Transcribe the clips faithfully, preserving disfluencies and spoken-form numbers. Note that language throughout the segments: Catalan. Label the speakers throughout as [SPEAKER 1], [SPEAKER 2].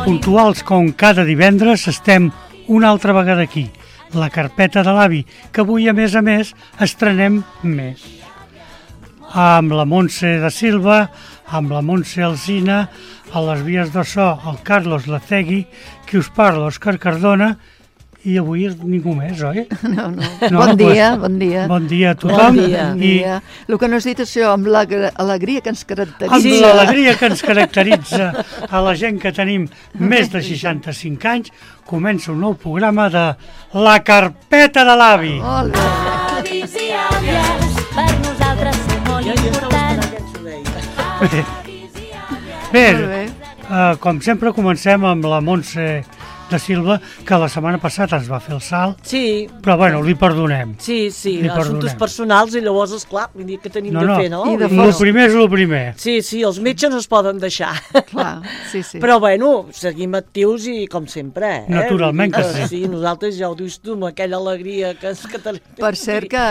[SPEAKER 1] Puntuals com cada divendres estem una altra vegada aquí, la carpeta de l'avi, que avui a més a més estrenem més. Amb la Montse da Silva, amb la Montse Alsina, a les vies de so el Carlos Lacegui, qui us parla, Òscar Cardona, i avui ningú més, oi?
[SPEAKER 2] No, no. no bon dia, pues, bon dia.
[SPEAKER 1] Bon dia a tothom.
[SPEAKER 2] Bon dia. I... dia. El que no has dit això, amb l'alegria que ens caracteritza.
[SPEAKER 1] Amb l'alegria que ens caracteritza a la gent que tenim més de seixanta-cinc anys, comença un nou programa de La Carpeta de l'Avi.
[SPEAKER 2] Molt bé.
[SPEAKER 3] Avis i àvies, per nosaltres ser molt important.
[SPEAKER 1] Bé, bé, bé. Uh, com sempre comencem amb la Montse da Silva, que la setmana passada ens va fer el salt,
[SPEAKER 4] sí.
[SPEAKER 1] Però bueno, li perdonem.
[SPEAKER 4] Sí, sí,
[SPEAKER 1] li
[SPEAKER 4] assumptes personals i llavors, esclar, vull dir que tenim
[SPEAKER 1] no,
[SPEAKER 4] de
[SPEAKER 1] no.
[SPEAKER 4] fer, no?
[SPEAKER 1] I de el primer és el primer.
[SPEAKER 4] Sí, sí, els metges no es poden deixar.
[SPEAKER 2] Clar, sí, sí.
[SPEAKER 4] Però bueno, seguim actius i com sempre, eh?
[SPEAKER 1] Naturalment que sí.
[SPEAKER 4] Sí, nosaltres ja ho dius tu, amb aquella alegria que... que
[SPEAKER 2] per cert que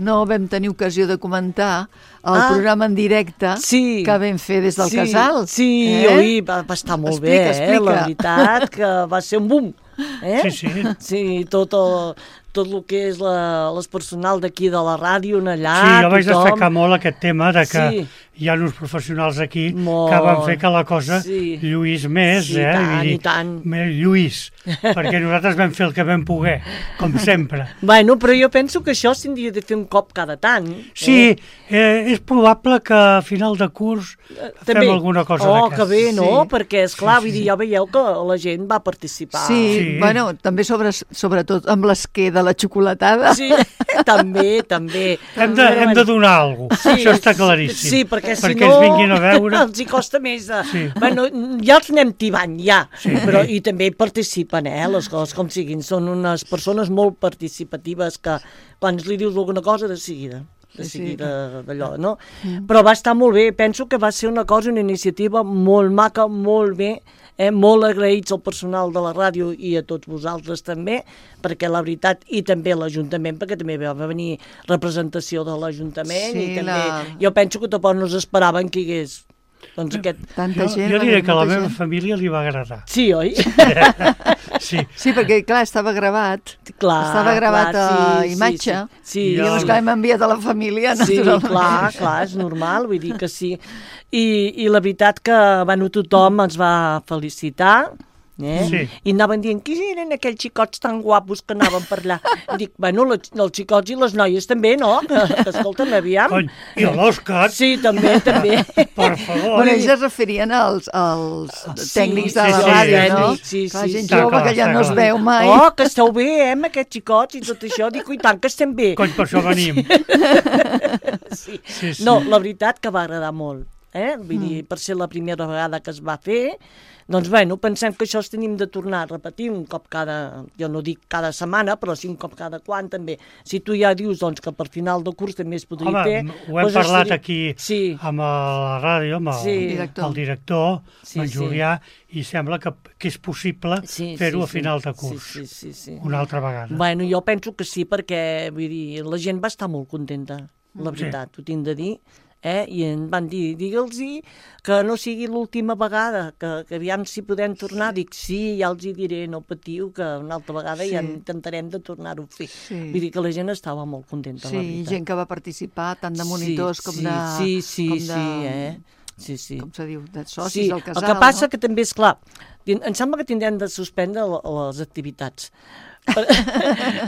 [SPEAKER 2] no vam tenir ocasió de comentar el ah, programa en directe
[SPEAKER 4] sí,
[SPEAKER 2] que vam fer des del
[SPEAKER 4] sí,
[SPEAKER 2] casal.
[SPEAKER 4] Sí, eh? oi, va, va estar molt
[SPEAKER 2] explica,
[SPEAKER 4] bé,
[SPEAKER 2] explica.
[SPEAKER 4] Eh? La veritat que va ser un boom. Eh?
[SPEAKER 1] Sí, sí.
[SPEAKER 4] Sí, tot el, tot el que és la, les personal d'aquí de la ràdio, allà,
[SPEAKER 1] sí, jo vaig
[SPEAKER 4] tothom...
[SPEAKER 1] destacar molt aquest tema de que
[SPEAKER 4] sí.
[SPEAKER 1] hi ha uns professionals aquí
[SPEAKER 4] molt.
[SPEAKER 1] Que van fer que la cosa
[SPEAKER 4] sí.
[SPEAKER 1] lluís més,
[SPEAKER 4] sí,
[SPEAKER 1] eh?
[SPEAKER 4] Tant,
[SPEAKER 1] dir,
[SPEAKER 4] i tant.
[SPEAKER 1] Lluís, perquè nosaltres vam fer el que vam poder, com sempre.
[SPEAKER 4] Bueno, però jo penso que això s'hauria de fer un cop cada tant.
[SPEAKER 1] Sí, eh? Eh, és probable que a final de curs eh, fem
[SPEAKER 4] també.
[SPEAKER 1] alguna cosa
[SPEAKER 4] oh,
[SPEAKER 1] d'aquesta.
[SPEAKER 4] Oh, que bé, no?
[SPEAKER 2] Sí.
[SPEAKER 4] Perquè, esclar,
[SPEAKER 1] sí, sí.
[SPEAKER 4] vull dir, ja veieu que la gent va participar.
[SPEAKER 2] Sí, sí. Bueno, també sobre, sobretot amb l'esquer de la xocolatada.
[SPEAKER 4] Sí, també, també.
[SPEAKER 1] Hem de, hem de donar alguna cosa, sí, això està claríssim.
[SPEAKER 4] Sí, perquè si
[SPEAKER 1] perquè
[SPEAKER 4] no...
[SPEAKER 1] ens vinguin a veure...
[SPEAKER 4] els hi costa més de...
[SPEAKER 1] Sí.
[SPEAKER 4] Bueno, ja els anem tibant, ja.
[SPEAKER 1] Sí.
[SPEAKER 4] Però, i també participen, eh, les coses com siguin. Són unes persones molt participatives que quan li dius alguna cosa de seguida. de seguida d'allò, no? Mm. Però va estar molt bé, penso que va ser una cosa, una iniciativa molt maca, molt bé, eh? Molt agraïts al personal de la ràdio i a tots vosaltres també, perquè la veritat, i també l'Ajuntament, perquè també va venir representació de l'Ajuntament,
[SPEAKER 2] sí,
[SPEAKER 4] i també,
[SPEAKER 2] la...
[SPEAKER 4] jo penso que tampoc no s'esperaven que hi hagués doncs aquest...
[SPEAKER 2] Tanta gent,
[SPEAKER 1] jo, jo diré que a la meva
[SPEAKER 2] gent.
[SPEAKER 1] família li va agradar.
[SPEAKER 4] Sí, oi?
[SPEAKER 1] sí.
[SPEAKER 2] Sí, perquè clar, estava gravat.
[SPEAKER 4] Clar,
[SPEAKER 2] estava gravat
[SPEAKER 4] clar,
[SPEAKER 2] a
[SPEAKER 4] sí,
[SPEAKER 2] imatge.
[SPEAKER 4] Sí, sí. sí.
[SPEAKER 2] I llavors clar, hem enviat a la família,
[SPEAKER 4] sí,
[SPEAKER 2] naturalment.
[SPEAKER 4] clar, clar, és normal, vull dir que sí. I, i la veritat que, bueno, tothom ens va felicitar, eh?
[SPEAKER 1] Sí.
[SPEAKER 4] I anaven dient, qui eren aquells xicots tan guapos que anaven per allà? I dic, bueno, els, els xicots i les noies també, no? Que, que escolta'm, aviam.
[SPEAKER 1] Cony, i l'Òscar.
[SPEAKER 4] Sí, també, també.
[SPEAKER 1] Per favor.
[SPEAKER 2] Bueno, ells es referien als, als
[SPEAKER 4] sí,
[SPEAKER 2] tècnics de
[SPEAKER 4] sí,
[SPEAKER 2] la
[SPEAKER 4] sí,
[SPEAKER 2] ràdio,
[SPEAKER 4] sí,
[SPEAKER 2] no?
[SPEAKER 4] Sí, sí,
[SPEAKER 2] clar,
[SPEAKER 4] sí,
[SPEAKER 2] gent
[SPEAKER 4] sí.
[SPEAKER 2] jove
[SPEAKER 1] clar,
[SPEAKER 2] que ja
[SPEAKER 1] clar,
[SPEAKER 2] no es
[SPEAKER 1] clar.
[SPEAKER 2] veu mai.
[SPEAKER 4] Oh, que esteu bé, eh, amb aquests xicots i tot això. Dic, i tant que estem bé.
[SPEAKER 1] Cony, per això venim.
[SPEAKER 4] sí.
[SPEAKER 1] Sí, sí.
[SPEAKER 4] No, la veritat que va agradar molt. Eh? Vull dir, per ser la primera vegada que es va fer, doncs, bueno, pensem que això es tenim de tornar a repetir un cop cada, jo no dic cada setmana, però sí un cop cada quan també. Si tu ja dius, doncs, que per final de curs també es podria
[SPEAKER 1] Home,
[SPEAKER 4] fer...
[SPEAKER 1] ho hem
[SPEAKER 4] doncs
[SPEAKER 1] parlat
[SPEAKER 4] estaria...
[SPEAKER 1] aquí
[SPEAKER 4] sí.
[SPEAKER 1] amb la ràdio, amb el
[SPEAKER 4] sí.
[SPEAKER 1] director, el director
[SPEAKER 4] sí,
[SPEAKER 1] en Julià, sí. I sembla que, que és possible
[SPEAKER 4] sí,
[SPEAKER 1] fer-ho
[SPEAKER 4] sí,
[SPEAKER 1] a final de
[SPEAKER 4] sí.
[SPEAKER 1] curs,
[SPEAKER 4] sí, sí, sí, sí.
[SPEAKER 1] una altra vegada.
[SPEAKER 4] Bueno, jo penso que sí, perquè, vull dir, la gent va estar molt contenta, la veritat, sí. Ho tinc de dir. Eh? I em van dir, digue'ls-hi que no sigui l'última vegada, que, que aviam si podem tornar. Dic, sí, ja els hi diré, no patiu, que una altra vegada sí. Ja intentarem de tornar-ho a fer. Sí. Vull dir que la gent estava molt contenta,
[SPEAKER 2] sí,
[SPEAKER 4] la veritat.
[SPEAKER 2] Sí, gent que va participar, tant de monitors
[SPEAKER 4] sí,
[SPEAKER 2] com
[SPEAKER 4] sí,
[SPEAKER 2] de...
[SPEAKER 4] Sí, sí,
[SPEAKER 2] com de,
[SPEAKER 4] sí, eh? Sí, sí.
[SPEAKER 2] Com se diu, de socis
[SPEAKER 4] sí.
[SPEAKER 2] del casal.
[SPEAKER 4] El que passa
[SPEAKER 2] no?
[SPEAKER 4] que també és clar, em sembla que tindrem de suspendre les activitats. per,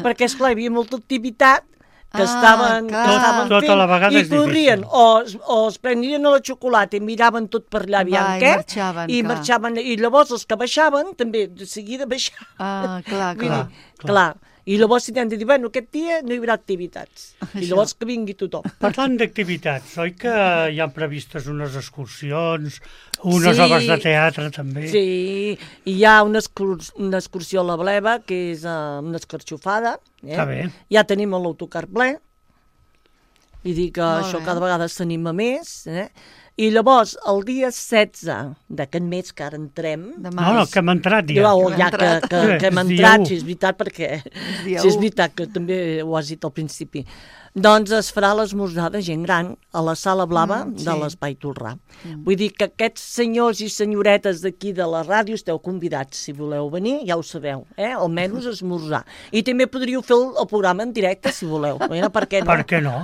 [SPEAKER 4] perquè, esclar, hi havia molta activitat que estaven,
[SPEAKER 2] ah,
[SPEAKER 4] que estaven
[SPEAKER 1] tota
[SPEAKER 4] fent
[SPEAKER 1] la vegada
[SPEAKER 4] i
[SPEAKER 1] és
[SPEAKER 4] corrien,
[SPEAKER 1] difícil.
[SPEAKER 4] o, o es prenien a la xocolata i miraven tot per allà, aviam
[SPEAKER 2] Va,
[SPEAKER 4] què,
[SPEAKER 2] i marxaven,
[SPEAKER 4] i
[SPEAKER 2] clar.
[SPEAKER 4] marxaven, i llavors els que baixaven, també, de seguida baixaven.
[SPEAKER 2] Ah, clar,
[SPEAKER 4] Vull
[SPEAKER 2] clar.
[SPEAKER 4] dir, clar. clar. I llavors si hem de dir, bueno, aquest dia no hi haurà activitats.
[SPEAKER 2] Això.
[SPEAKER 4] I llavors que vingui tothom.
[SPEAKER 1] Parlant d'activitats, oi que hi ha previstes unes excursions, unes
[SPEAKER 4] sí,
[SPEAKER 1] obres de teatre també?
[SPEAKER 4] Sí, i hi ha una, excurs una excursió a la Bleva, que és uh, una escarxofada. Eh?
[SPEAKER 1] Està bé.
[SPEAKER 4] Ja tenim l'autocar ple. I dir que
[SPEAKER 2] Molt
[SPEAKER 4] això
[SPEAKER 2] bé.
[SPEAKER 4] cada vegada s'anima més. Eh? I llavors, el dia setze d'aquest mes que ara entrem...
[SPEAKER 2] De
[SPEAKER 1] No, no, que hem entrat ja.
[SPEAKER 4] Ja, ja que,
[SPEAKER 2] entrat.
[SPEAKER 4] que, que hem
[SPEAKER 1] És dia
[SPEAKER 4] entrat,
[SPEAKER 1] u.
[SPEAKER 4] si és veritat, perquè
[SPEAKER 2] dia
[SPEAKER 4] si és
[SPEAKER 2] u.
[SPEAKER 4] veritat que també ho has dit al principi. Doncs es farà l'esmorzar de gent gran a la sala blava
[SPEAKER 2] Mm,
[SPEAKER 4] de
[SPEAKER 2] sí.
[SPEAKER 4] l'Espai Tolrà. Vull dir que aquests senyors i senyoretes d'aquí de la ràdio esteu convidats, si voleu venir, ja ho sabeu, eh? Almenys esmorzar. I també podríeu fer el, el programa en directe, si voleu. Mira, per què no?
[SPEAKER 1] Per què no?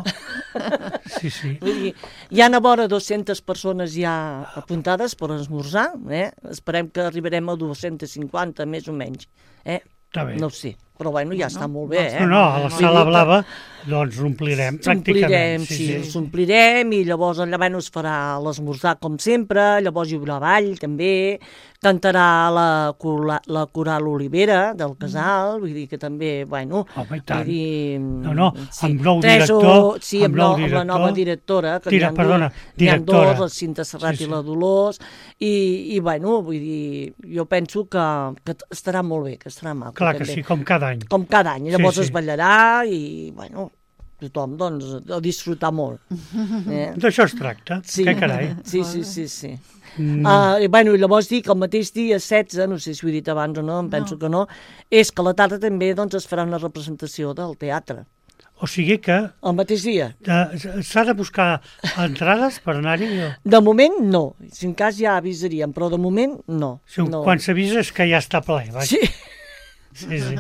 [SPEAKER 1] Sí, sí.
[SPEAKER 4] Vull dir, hi ha a vora dues-centes persones ja apuntades per esmorzar, eh? Esperem que arribarem a dues-centes cinquanta, més o menys. Eh?
[SPEAKER 1] Està bé.
[SPEAKER 4] No ho sé, però bueno, ja està molt bé, eh?
[SPEAKER 1] No, no, a la
[SPEAKER 4] Vull
[SPEAKER 1] sala
[SPEAKER 4] dir que
[SPEAKER 1] blava doncs omplirem pràcticament.
[SPEAKER 4] S'omplirem, sí, sí. s'omplirem i llavors allà bueno, es farà l'esmorzar com sempre, llavors hi haurà ball també, cantarà la, cora- la coral Olivera del Casal, vull dir que també, bueno...
[SPEAKER 1] Home, i tant.
[SPEAKER 4] Vull dir,
[SPEAKER 1] No, no, amb nou
[SPEAKER 4] tres o-
[SPEAKER 1] director,
[SPEAKER 4] Sí,
[SPEAKER 1] amb
[SPEAKER 4] amb,
[SPEAKER 1] nou
[SPEAKER 4] no, amb la
[SPEAKER 1] director.
[SPEAKER 4] nova directora, que
[SPEAKER 1] Tira,
[SPEAKER 4] n'hi ha
[SPEAKER 1] perdona,
[SPEAKER 4] dos, n'hi ha
[SPEAKER 1] directora.
[SPEAKER 4] dos, la Cinta Serrat
[SPEAKER 1] Sí, sí.
[SPEAKER 4] i la Dolors, i, i bueno, vull dir, jo penso que, que estarà molt bé, que estarà maco.
[SPEAKER 1] Clar que
[SPEAKER 4] també.
[SPEAKER 1] sí, com cada any.
[SPEAKER 4] Com cada any, llavors
[SPEAKER 1] Sí, sí.
[SPEAKER 4] es ballarà i, bueno, tothom, doncs, a disfrutar molt. Eh?
[SPEAKER 1] D'això es tracta,
[SPEAKER 4] Sí.
[SPEAKER 1] que carai.
[SPEAKER 4] Sí, sí, sí, sí.
[SPEAKER 1] Mm.
[SPEAKER 4] Uh, i, bueno, i llavors dic, el mateix dia setze, no sé si ho he dit abans o no, em penso que no, és que a la tarda també doncs, es farà una representació del teatre.
[SPEAKER 1] O sigui que
[SPEAKER 4] El mateix dia.
[SPEAKER 1] eh, s'ha de buscar entrades per anar-hi. O...
[SPEAKER 4] De moment, no. Si en cas ja avisaríem, però de moment, no.
[SPEAKER 1] Sí,
[SPEAKER 4] no.
[SPEAKER 1] Quan s'avisa és que ja està ple. Vaja.
[SPEAKER 4] Sí,
[SPEAKER 1] Sí, sí.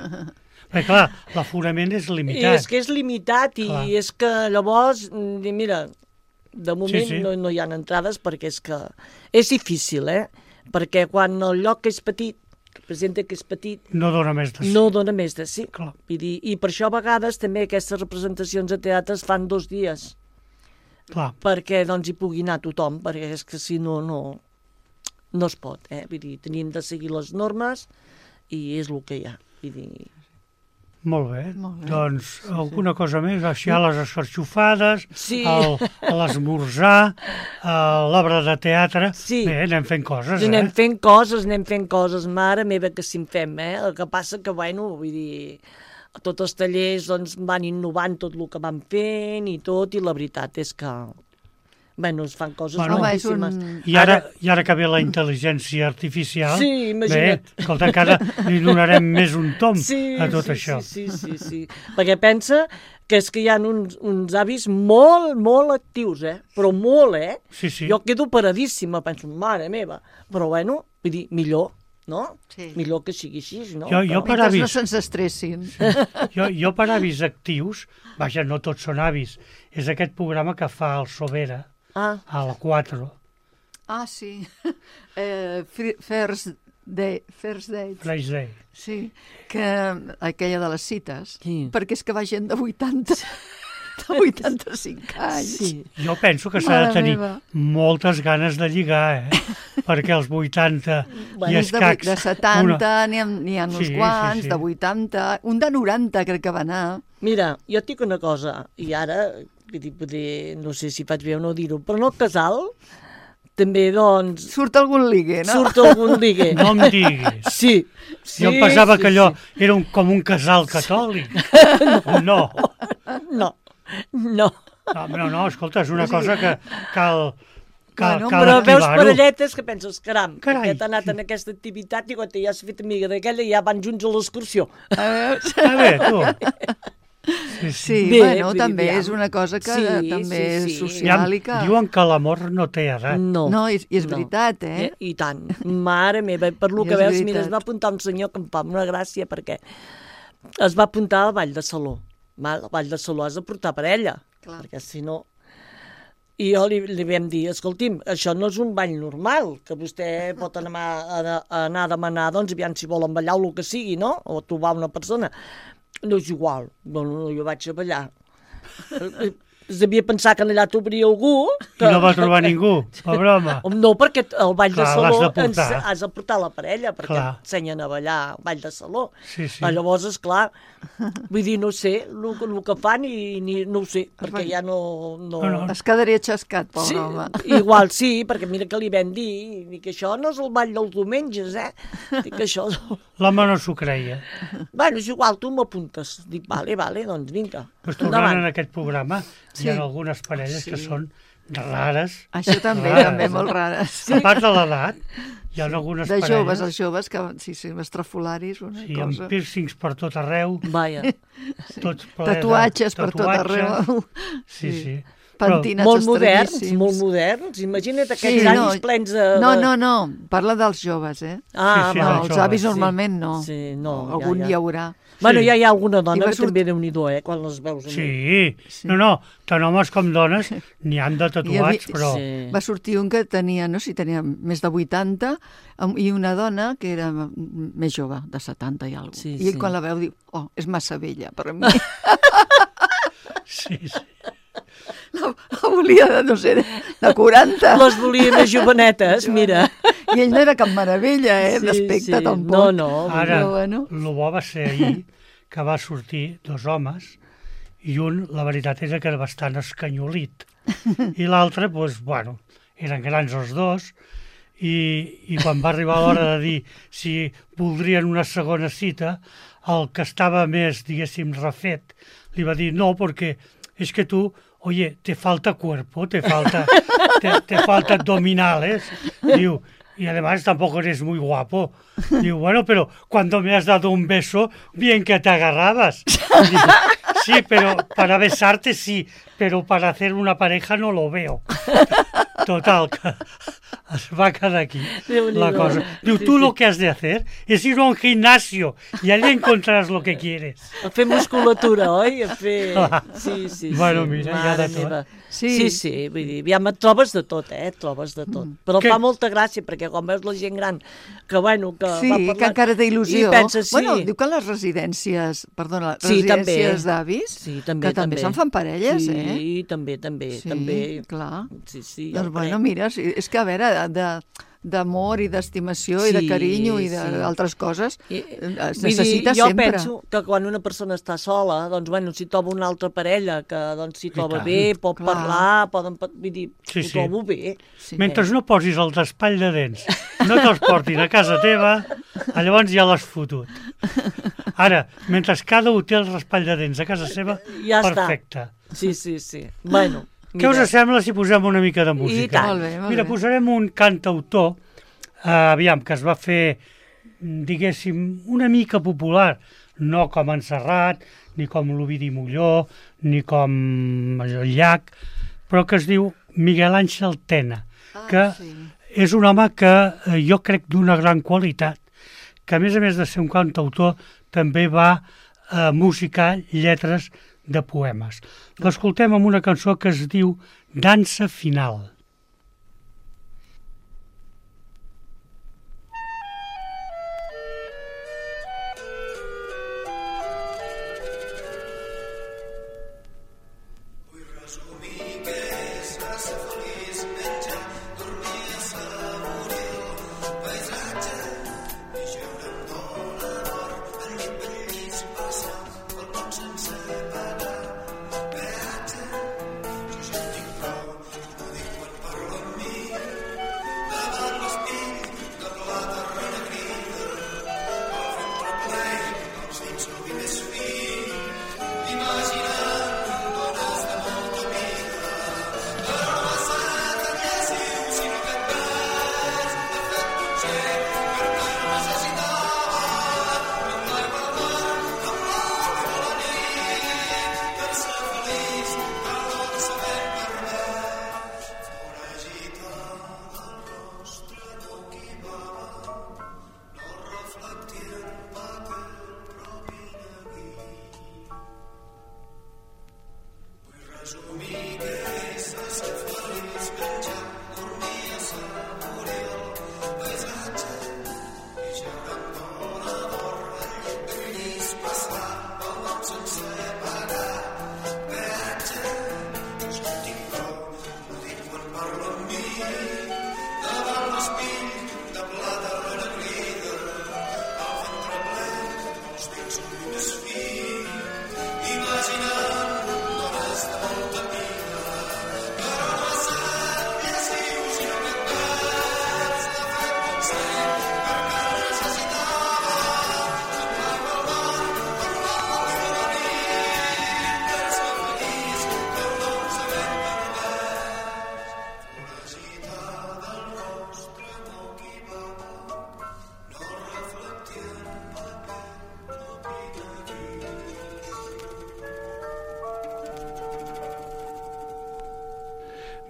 [SPEAKER 1] Perquè, clar, l'aforament és
[SPEAKER 4] i
[SPEAKER 1] limitat.
[SPEAKER 4] és que és limitat i
[SPEAKER 1] Clar.
[SPEAKER 4] és que llavors, mm, mira, de moment
[SPEAKER 1] Sí, sí.
[SPEAKER 4] No, no hi ha entrades perquè és que és difícil, eh? Perquè quan el lloc és petit, representa que és petit,
[SPEAKER 1] No dona més de sí.
[SPEAKER 4] no dona més de sí.
[SPEAKER 1] Clar.
[SPEAKER 4] Vull dir, i per això a vegades també aquestes representacions a teatre es fan dos dies,
[SPEAKER 1] Clar.
[SPEAKER 4] perquè doncs hi pugui anar tothom, perquè és que si no, no, no es pot, eh? Vull dir, tenim de seguir les normes i és el que hi ha. Vull dir,
[SPEAKER 1] Molt bé.
[SPEAKER 2] Molt bé.
[SPEAKER 1] Doncs alguna cosa més, així a les escarxofades,
[SPEAKER 4] Sí.
[SPEAKER 1] el- a l'esmorzar, a l'obra de teatre.
[SPEAKER 4] Sí.
[SPEAKER 1] Bé, anem fent coses,
[SPEAKER 4] Ens anem
[SPEAKER 1] eh?
[SPEAKER 4] fent coses, anem fent coses, mare meva, que si en fem, eh? El que passa que, bueno, vull dir, tots els tallers doncs, van innovant tot el que van fent i tot, i la veritat és que, bueno, es fan coses
[SPEAKER 1] Bueno.
[SPEAKER 2] Home, és
[SPEAKER 4] moltíssimes.
[SPEAKER 2] un...
[SPEAKER 1] I ara, I ara que ve la intel·ligència artificial,
[SPEAKER 4] Sí, imagina't.
[SPEAKER 1] bé, escolta, encara li donarem més un tom
[SPEAKER 4] Sí,
[SPEAKER 1] a tot
[SPEAKER 4] sí,
[SPEAKER 1] això.
[SPEAKER 4] Sí, sí, sí, sí. Perquè pensa que és que hi ha uns, uns avis molt, molt actius, eh? Però molt, eh?
[SPEAKER 1] Sí, sí.
[SPEAKER 4] Jo quedo paradíssima, penso, mare meva. Però, bueno, vull dir, millor, no?
[SPEAKER 2] Sí.
[SPEAKER 4] Millor que sigui així, no?
[SPEAKER 1] Jo- jo
[SPEAKER 4] Però-
[SPEAKER 1] per
[SPEAKER 2] Mentre
[SPEAKER 1] avis.
[SPEAKER 2] no se'ns estressin.
[SPEAKER 1] Jo, jo per avis actius, vaja, no tots són avis, és aquest programa que fa el Sobera,
[SPEAKER 4] Ah,
[SPEAKER 1] a la quatre.
[SPEAKER 2] Ah, sí. Eh, fri- first day, first date.
[SPEAKER 1] Fresh Day.
[SPEAKER 2] Sí, que aquella de les cites.
[SPEAKER 4] Sí.
[SPEAKER 2] Perquè és que va gent de vuitanta, de vuitanta-cinc anys.
[SPEAKER 4] sí.
[SPEAKER 1] Jo penso que s'ha de
[SPEAKER 2] Mare
[SPEAKER 1] tenir
[SPEAKER 2] meva.
[SPEAKER 1] moltes ganes de lligar, eh? Perquè els vuitanta
[SPEAKER 4] Bueno,
[SPEAKER 1] i
[SPEAKER 2] Més de, vuit-
[SPEAKER 1] escacs...
[SPEAKER 2] de setanta, n'hi ha, n'hi ha uns
[SPEAKER 1] Sí, sí,
[SPEAKER 2] quants,
[SPEAKER 1] sí.
[SPEAKER 2] de vuitanta, un de noranta crec que va anar.
[SPEAKER 4] Mira, jo et dic una cosa, i ara, vull dir, poder, no sé si faig bé o no dir-ho, però en el casal també, doncs,
[SPEAKER 2] Surt algun ligue, no?
[SPEAKER 4] surt algun ligue.
[SPEAKER 1] No em diguis.
[SPEAKER 4] Sí, sí.
[SPEAKER 1] Jo em pensava
[SPEAKER 4] sí,
[SPEAKER 1] que allò
[SPEAKER 4] sí.
[SPEAKER 1] era un, com un casal catòlic. No.
[SPEAKER 4] No, no.
[SPEAKER 1] No, no, no, escolta, és una cosa que cal, cal,
[SPEAKER 2] Bueno,
[SPEAKER 1] cal
[SPEAKER 4] Però veus
[SPEAKER 1] activar-ho.
[SPEAKER 4] parelletes que penses, caram,
[SPEAKER 1] Carai.
[SPEAKER 4] aquest ha anat en aquesta activitat i quan ja s'ha fet amiga d'aquella ja van junts a l'excursió.
[SPEAKER 2] Eh,
[SPEAKER 1] Està bé, tu. Sí, sí.
[SPEAKER 2] Sí,
[SPEAKER 4] Bé,
[SPEAKER 2] bueno,
[SPEAKER 4] vull dir,
[SPEAKER 2] també
[SPEAKER 4] aviam.
[SPEAKER 2] és una cosa que
[SPEAKER 4] Sí,
[SPEAKER 2] també
[SPEAKER 4] sí,
[SPEAKER 2] és
[SPEAKER 4] sí.
[SPEAKER 2] social
[SPEAKER 1] Aviam,
[SPEAKER 2] i que...
[SPEAKER 1] diuen que l'amor no té edat.
[SPEAKER 4] No.
[SPEAKER 2] No, i, i és
[SPEAKER 4] No.
[SPEAKER 2] veritat, eh?
[SPEAKER 4] I, I tant. Mare meva, per lo
[SPEAKER 2] I
[SPEAKER 4] que
[SPEAKER 2] és
[SPEAKER 4] veus, mira,
[SPEAKER 2] veritat.
[SPEAKER 4] es va apuntar un senyor que em fa una gràcia perquè es va apuntar al Ball de Saló. Val? Al Ball de Saló has de portar parella,
[SPEAKER 2] Clar.
[SPEAKER 4] perquè si no... I jo li, li vam dir, escolti'm, això no és un ball normal, que vostè pot anar a, a, a anar a demanar, doncs, aviam si volen ballar o el que sigui, no? O trobar una persona. No és igual. Bueno, jo vaig a ballar. Es devia pensar que allà t'obria algú.
[SPEAKER 1] I no va trobar ningú, pobre home.
[SPEAKER 4] No, perquè el ball
[SPEAKER 1] Clar,
[SPEAKER 4] de saló
[SPEAKER 1] l'has de
[SPEAKER 4] ens,
[SPEAKER 1] portar.
[SPEAKER 4] has de portar la parella, perquè
[SPEAKER 1] Clar.
[SPEAKER 4] ensenyen a ballar al ball de saló.
[SPEAKER 1] Sí, sí.
[SPEAKER 4] Ah, llavors, esclar, vull dir, no sé el, el que fan i ni, no ho sé, perquè ja no... no...
[SPEAKER 1] No, no.
[SPEAKER 2] Es quedaria xascat, pobre
[SPEAKER 4] Sí,
[SPEAKER 2] home.
[SPEAKER 4] igual sí, perquè mira que li vam dir, dic que això no és el ball dels diumenges, eh? Dic que això...
[SPEAKER 1] L'home no s'ho creia.
[SPEAKER 4] Bueno, és igual, tu m'apuntes. Dic, vale, vale, doncs vinga.
[SPEAKER 1] Pues tornant en aquest programa,
[SPEAKER 2] Sí.
[SPEAKER 1] hi ha algunes parelles
[SPEAKER 4] Sí.
[SPEAKER 1] que són rares.
[SPEAKER 2] Això també,
[SPEAKER 1] rares,
[SPEAKER 2] també,
[SPEAKER 1] eh?
[SPEAKER 2] molt rares.
[SPEAKER 1] A part de l'edat, hi ha algunes
[SPEAKER 2] De
[SPEAKER 1] parelles...
[SPEAKER 2] joves, els joves, que sí, sí, estrafolaris, una
[SPEAKER 1] Sí, amb
[SPEAKER 2] cosa.
[SPEAKER 1] pírcings per tot arreu,
[SPEAKER 4] Vaja.
[SPEAKER 1] tots ple de
[SPEAKER 2] Tatuatges per tot
[SPEAKER 1] tatuatges.
[SPEAKER 2] arreu.
[SPEAKER 1] Sí, sí.
[SPEAKER 2] Pentinats
[SPEAKER 4] Molt moderns,
[SPEAKER 2] estranyíssims.
[SPEAKER 4] molt moderns. Imagina't aquests
[SPEAKER 2] Sí,
[SPEAKER 4] avis
[SPEAKER 2] no,
[SPEAKER 4] plens de...
[SPEAKER 2] No,
[SPEAKER 4] de-
[SPEAKER 2] no, no, parla dels joves, eh?
[SPEAKER 4] Ah,
[SPEAKER 1] Sí, sí,
[SPEAKER 2] No,
[SPEAKER 4] va.
[SPEAKER 1] dels
[SPEAKER 2] els avis
[SPEAKER 1] joves,
[SPEAKER 2] normalment no.
[SPEAKER 4] Sí, no, ja,
[SPEAKER 2] Algun
[SPEAKER 4] ja.
[SPEAKER 2] hi haurà.
[SPEAKER 4] Bueno,
[SPEAKER 1] Sí.
[SPEAKER 4] ja hi ha alguna
[SPEAKER 2] I
[SPEAKER 4] dona
[SPEAKER 2] va
[SPEAKER 4] que
[SPEAKER 2] sort-
[SPEAKER 4] també Déu-n'hi-do, eh, quan les veus.
[SPEAKER 1] Sí, no, no, tant homes com dones n'hi han de tatuats, però...
[SPEAKER 4] Sí.
[SPEAKER 2] Va sortir un que tenia, no sé si tenia més de vuitanta, amb- i una dona que era m- més jove, de setanta i alguna cosa.
[SPEAKER 4] Sí,
[SPEAKER 2] I ell
[SPEAKER 4] sí.
[SPEAKER 2] quan la veu diu, oh, és massa vella per a mi.
[SPEAKER 1] Sí, sí.
[SPEAKER 2] La, la volia de, no sé, de, de quaranta.
[SPEAKER 4] Les volia més jovenetes, mira.
[SPEAKER 2] I ell no era cap meravella, eh,
[SPEAKER 4] Sí,
[SPEAKER 2] d'aspecte
[SPEAKER 4] sí.
[SPEAKER 2] tampoc.
[SPEAKER 4] No, no.
[SPEAKER 1] Ara,
[SPEAKER 2] Però bueno.
[SPEAKER 1] el bo va ser ahir que va sortir dos homes i un, la veritat era que era bastant escanyolit. I l'altre, doncs, bueno, eren grans els dos i, i quan va arribar l'hora de dir si voldrien una segona cita, el que estava més, diguéssim, refet, li va dir no, perquè es que tú, oye, te falta cuerpo, te falta, te, te falta abdominales. Diu, y además tampoco eres muy guapo. Digo, bueno, pero cuando me has dado un beso, bien que te agarrabas. Digo, sí, pero para besarte sí, pero para hacer una pareja no lo veo. Total, que es va quedar aquí la cosa. Diu, tú lo que has de hacer es ir a un gimnasio y allí encontrarás lo que quieres.
[SPEAKER 4] A fer musculatura, oi? A fer... Sí, sí, sí.
[SPEAKER 1] Bueno, mira, hi ha
[SPEAKER 4] Mare
[SPEAKER 1] de tot.
[SPEAKER 4] meva.
[SPEAKER 2] Sí.
[SPEAKER 4] Sí, sí, vull dir, ja et trobes de tot, eh? Et trobes de tot. Però
[SPEAKER 1] Què?
[SPEAKER 4] fa molta gràcia, perquè quan veus la gent gran que, bueno, que
[SPEAKER 2] Sí,
[SPEAKER 4] va parlant...
[SPEAKER 2] que encara té il·lusió.
[SPEAKER 4] I penses, sí.
[SPEAKER 2] Bueno, diu que les residències, perdona, les
[SPEAKER 4] Sí, també.
[SPEAKER 2] residències d'avis,
[SPEAKER 4] Sí, també,
[SPEAKER 2] que també
[SPEAKER 4] també.
[SPEAKER 2] se'n fan parelles,
[SPEAKER 4] sí,
[SPEAKER 2] eh?
[SPEAKER 4] Sí, també, també,
[SPEAKER 2] Sí,
[SPEAKER 4] també.
[SPEAKER 2] clar.
[SPEAKER 4] Sí, sí,
[SPEAKER 2] Doncs
[SPEAKER 4] jo
[SPEAKER 2] bueno,
[SPEAKER 4] crec.
[SPEAKER 2] mira, sí, és que a veure, de, d'amor i d'estimació i de
[SPEAKER 4] Sí,
[SPEAKER 2] carinyo i
[SPEAKER 4] sí.
[SPEAKER 2] d'altres coses
[SPEAKER 4] I,
[SPEAKER 2] eh, es
[SPEAKER 4] vull dir,
[SPEAKER 2] necessita
[SPEAKER 4] jo
[SPEAKER 2] sempre.
[SPEAKER 4] penso que quan una persona està sola, doncs, bueno, si troba una altra parella que doncs, s'hi troba
[SPEAKER 1] tant.
[SPEAKER 4] bé, pot
[SPEAKER 2] Clar.
[SPEAKER 4] parlar, poden, pa- vull dir,
[SPEAKER 1] Sí,
[SPEAKER 4] ho
[SPEAKER 1] sí.
[SPEAKER 4] trobo bé.
[SPEAKER 2] Sí.
[SPEAKER 1] Mentre no posis el despall de dents, no te'ls portin a casa teva, llavors ja l'has fotut. Ara, mentre cada un té el raspall de dents a casa seva,
[SPEAKER 4] Ja està.
[SPEAKER 1] perfecte.
[SPEAKER 4] Sí, sí, sí. Bueno,
[SPEAKER 1] Què us sembla si posem una mica de música?
[SPEAKER 4] tant.
[SPEAKER 2] Molt bé, molt
[SPEAKER 1] Mira,
[SPEAKER 2] bé.
[SPEAKER 1] posarem un cantautor, eh, aviam, que es va fer, diguéssim, una mica popular, no com en Serrat, ni com l'Ovidi Molló, ni com el Llach, però que es diu Miguel Àngel Tena,
[SPEAKER 2] Ah,
[SPEAKER 1] que
[SPEAKER 2] sí.
[SPEAKER 1] és un home que eh, jo crec d'una gran qualitat, que a més a més de ser un cantautor també va eh, musicar lletres de poemes. L'escoltem amb una cançó que es diu Dansa Final.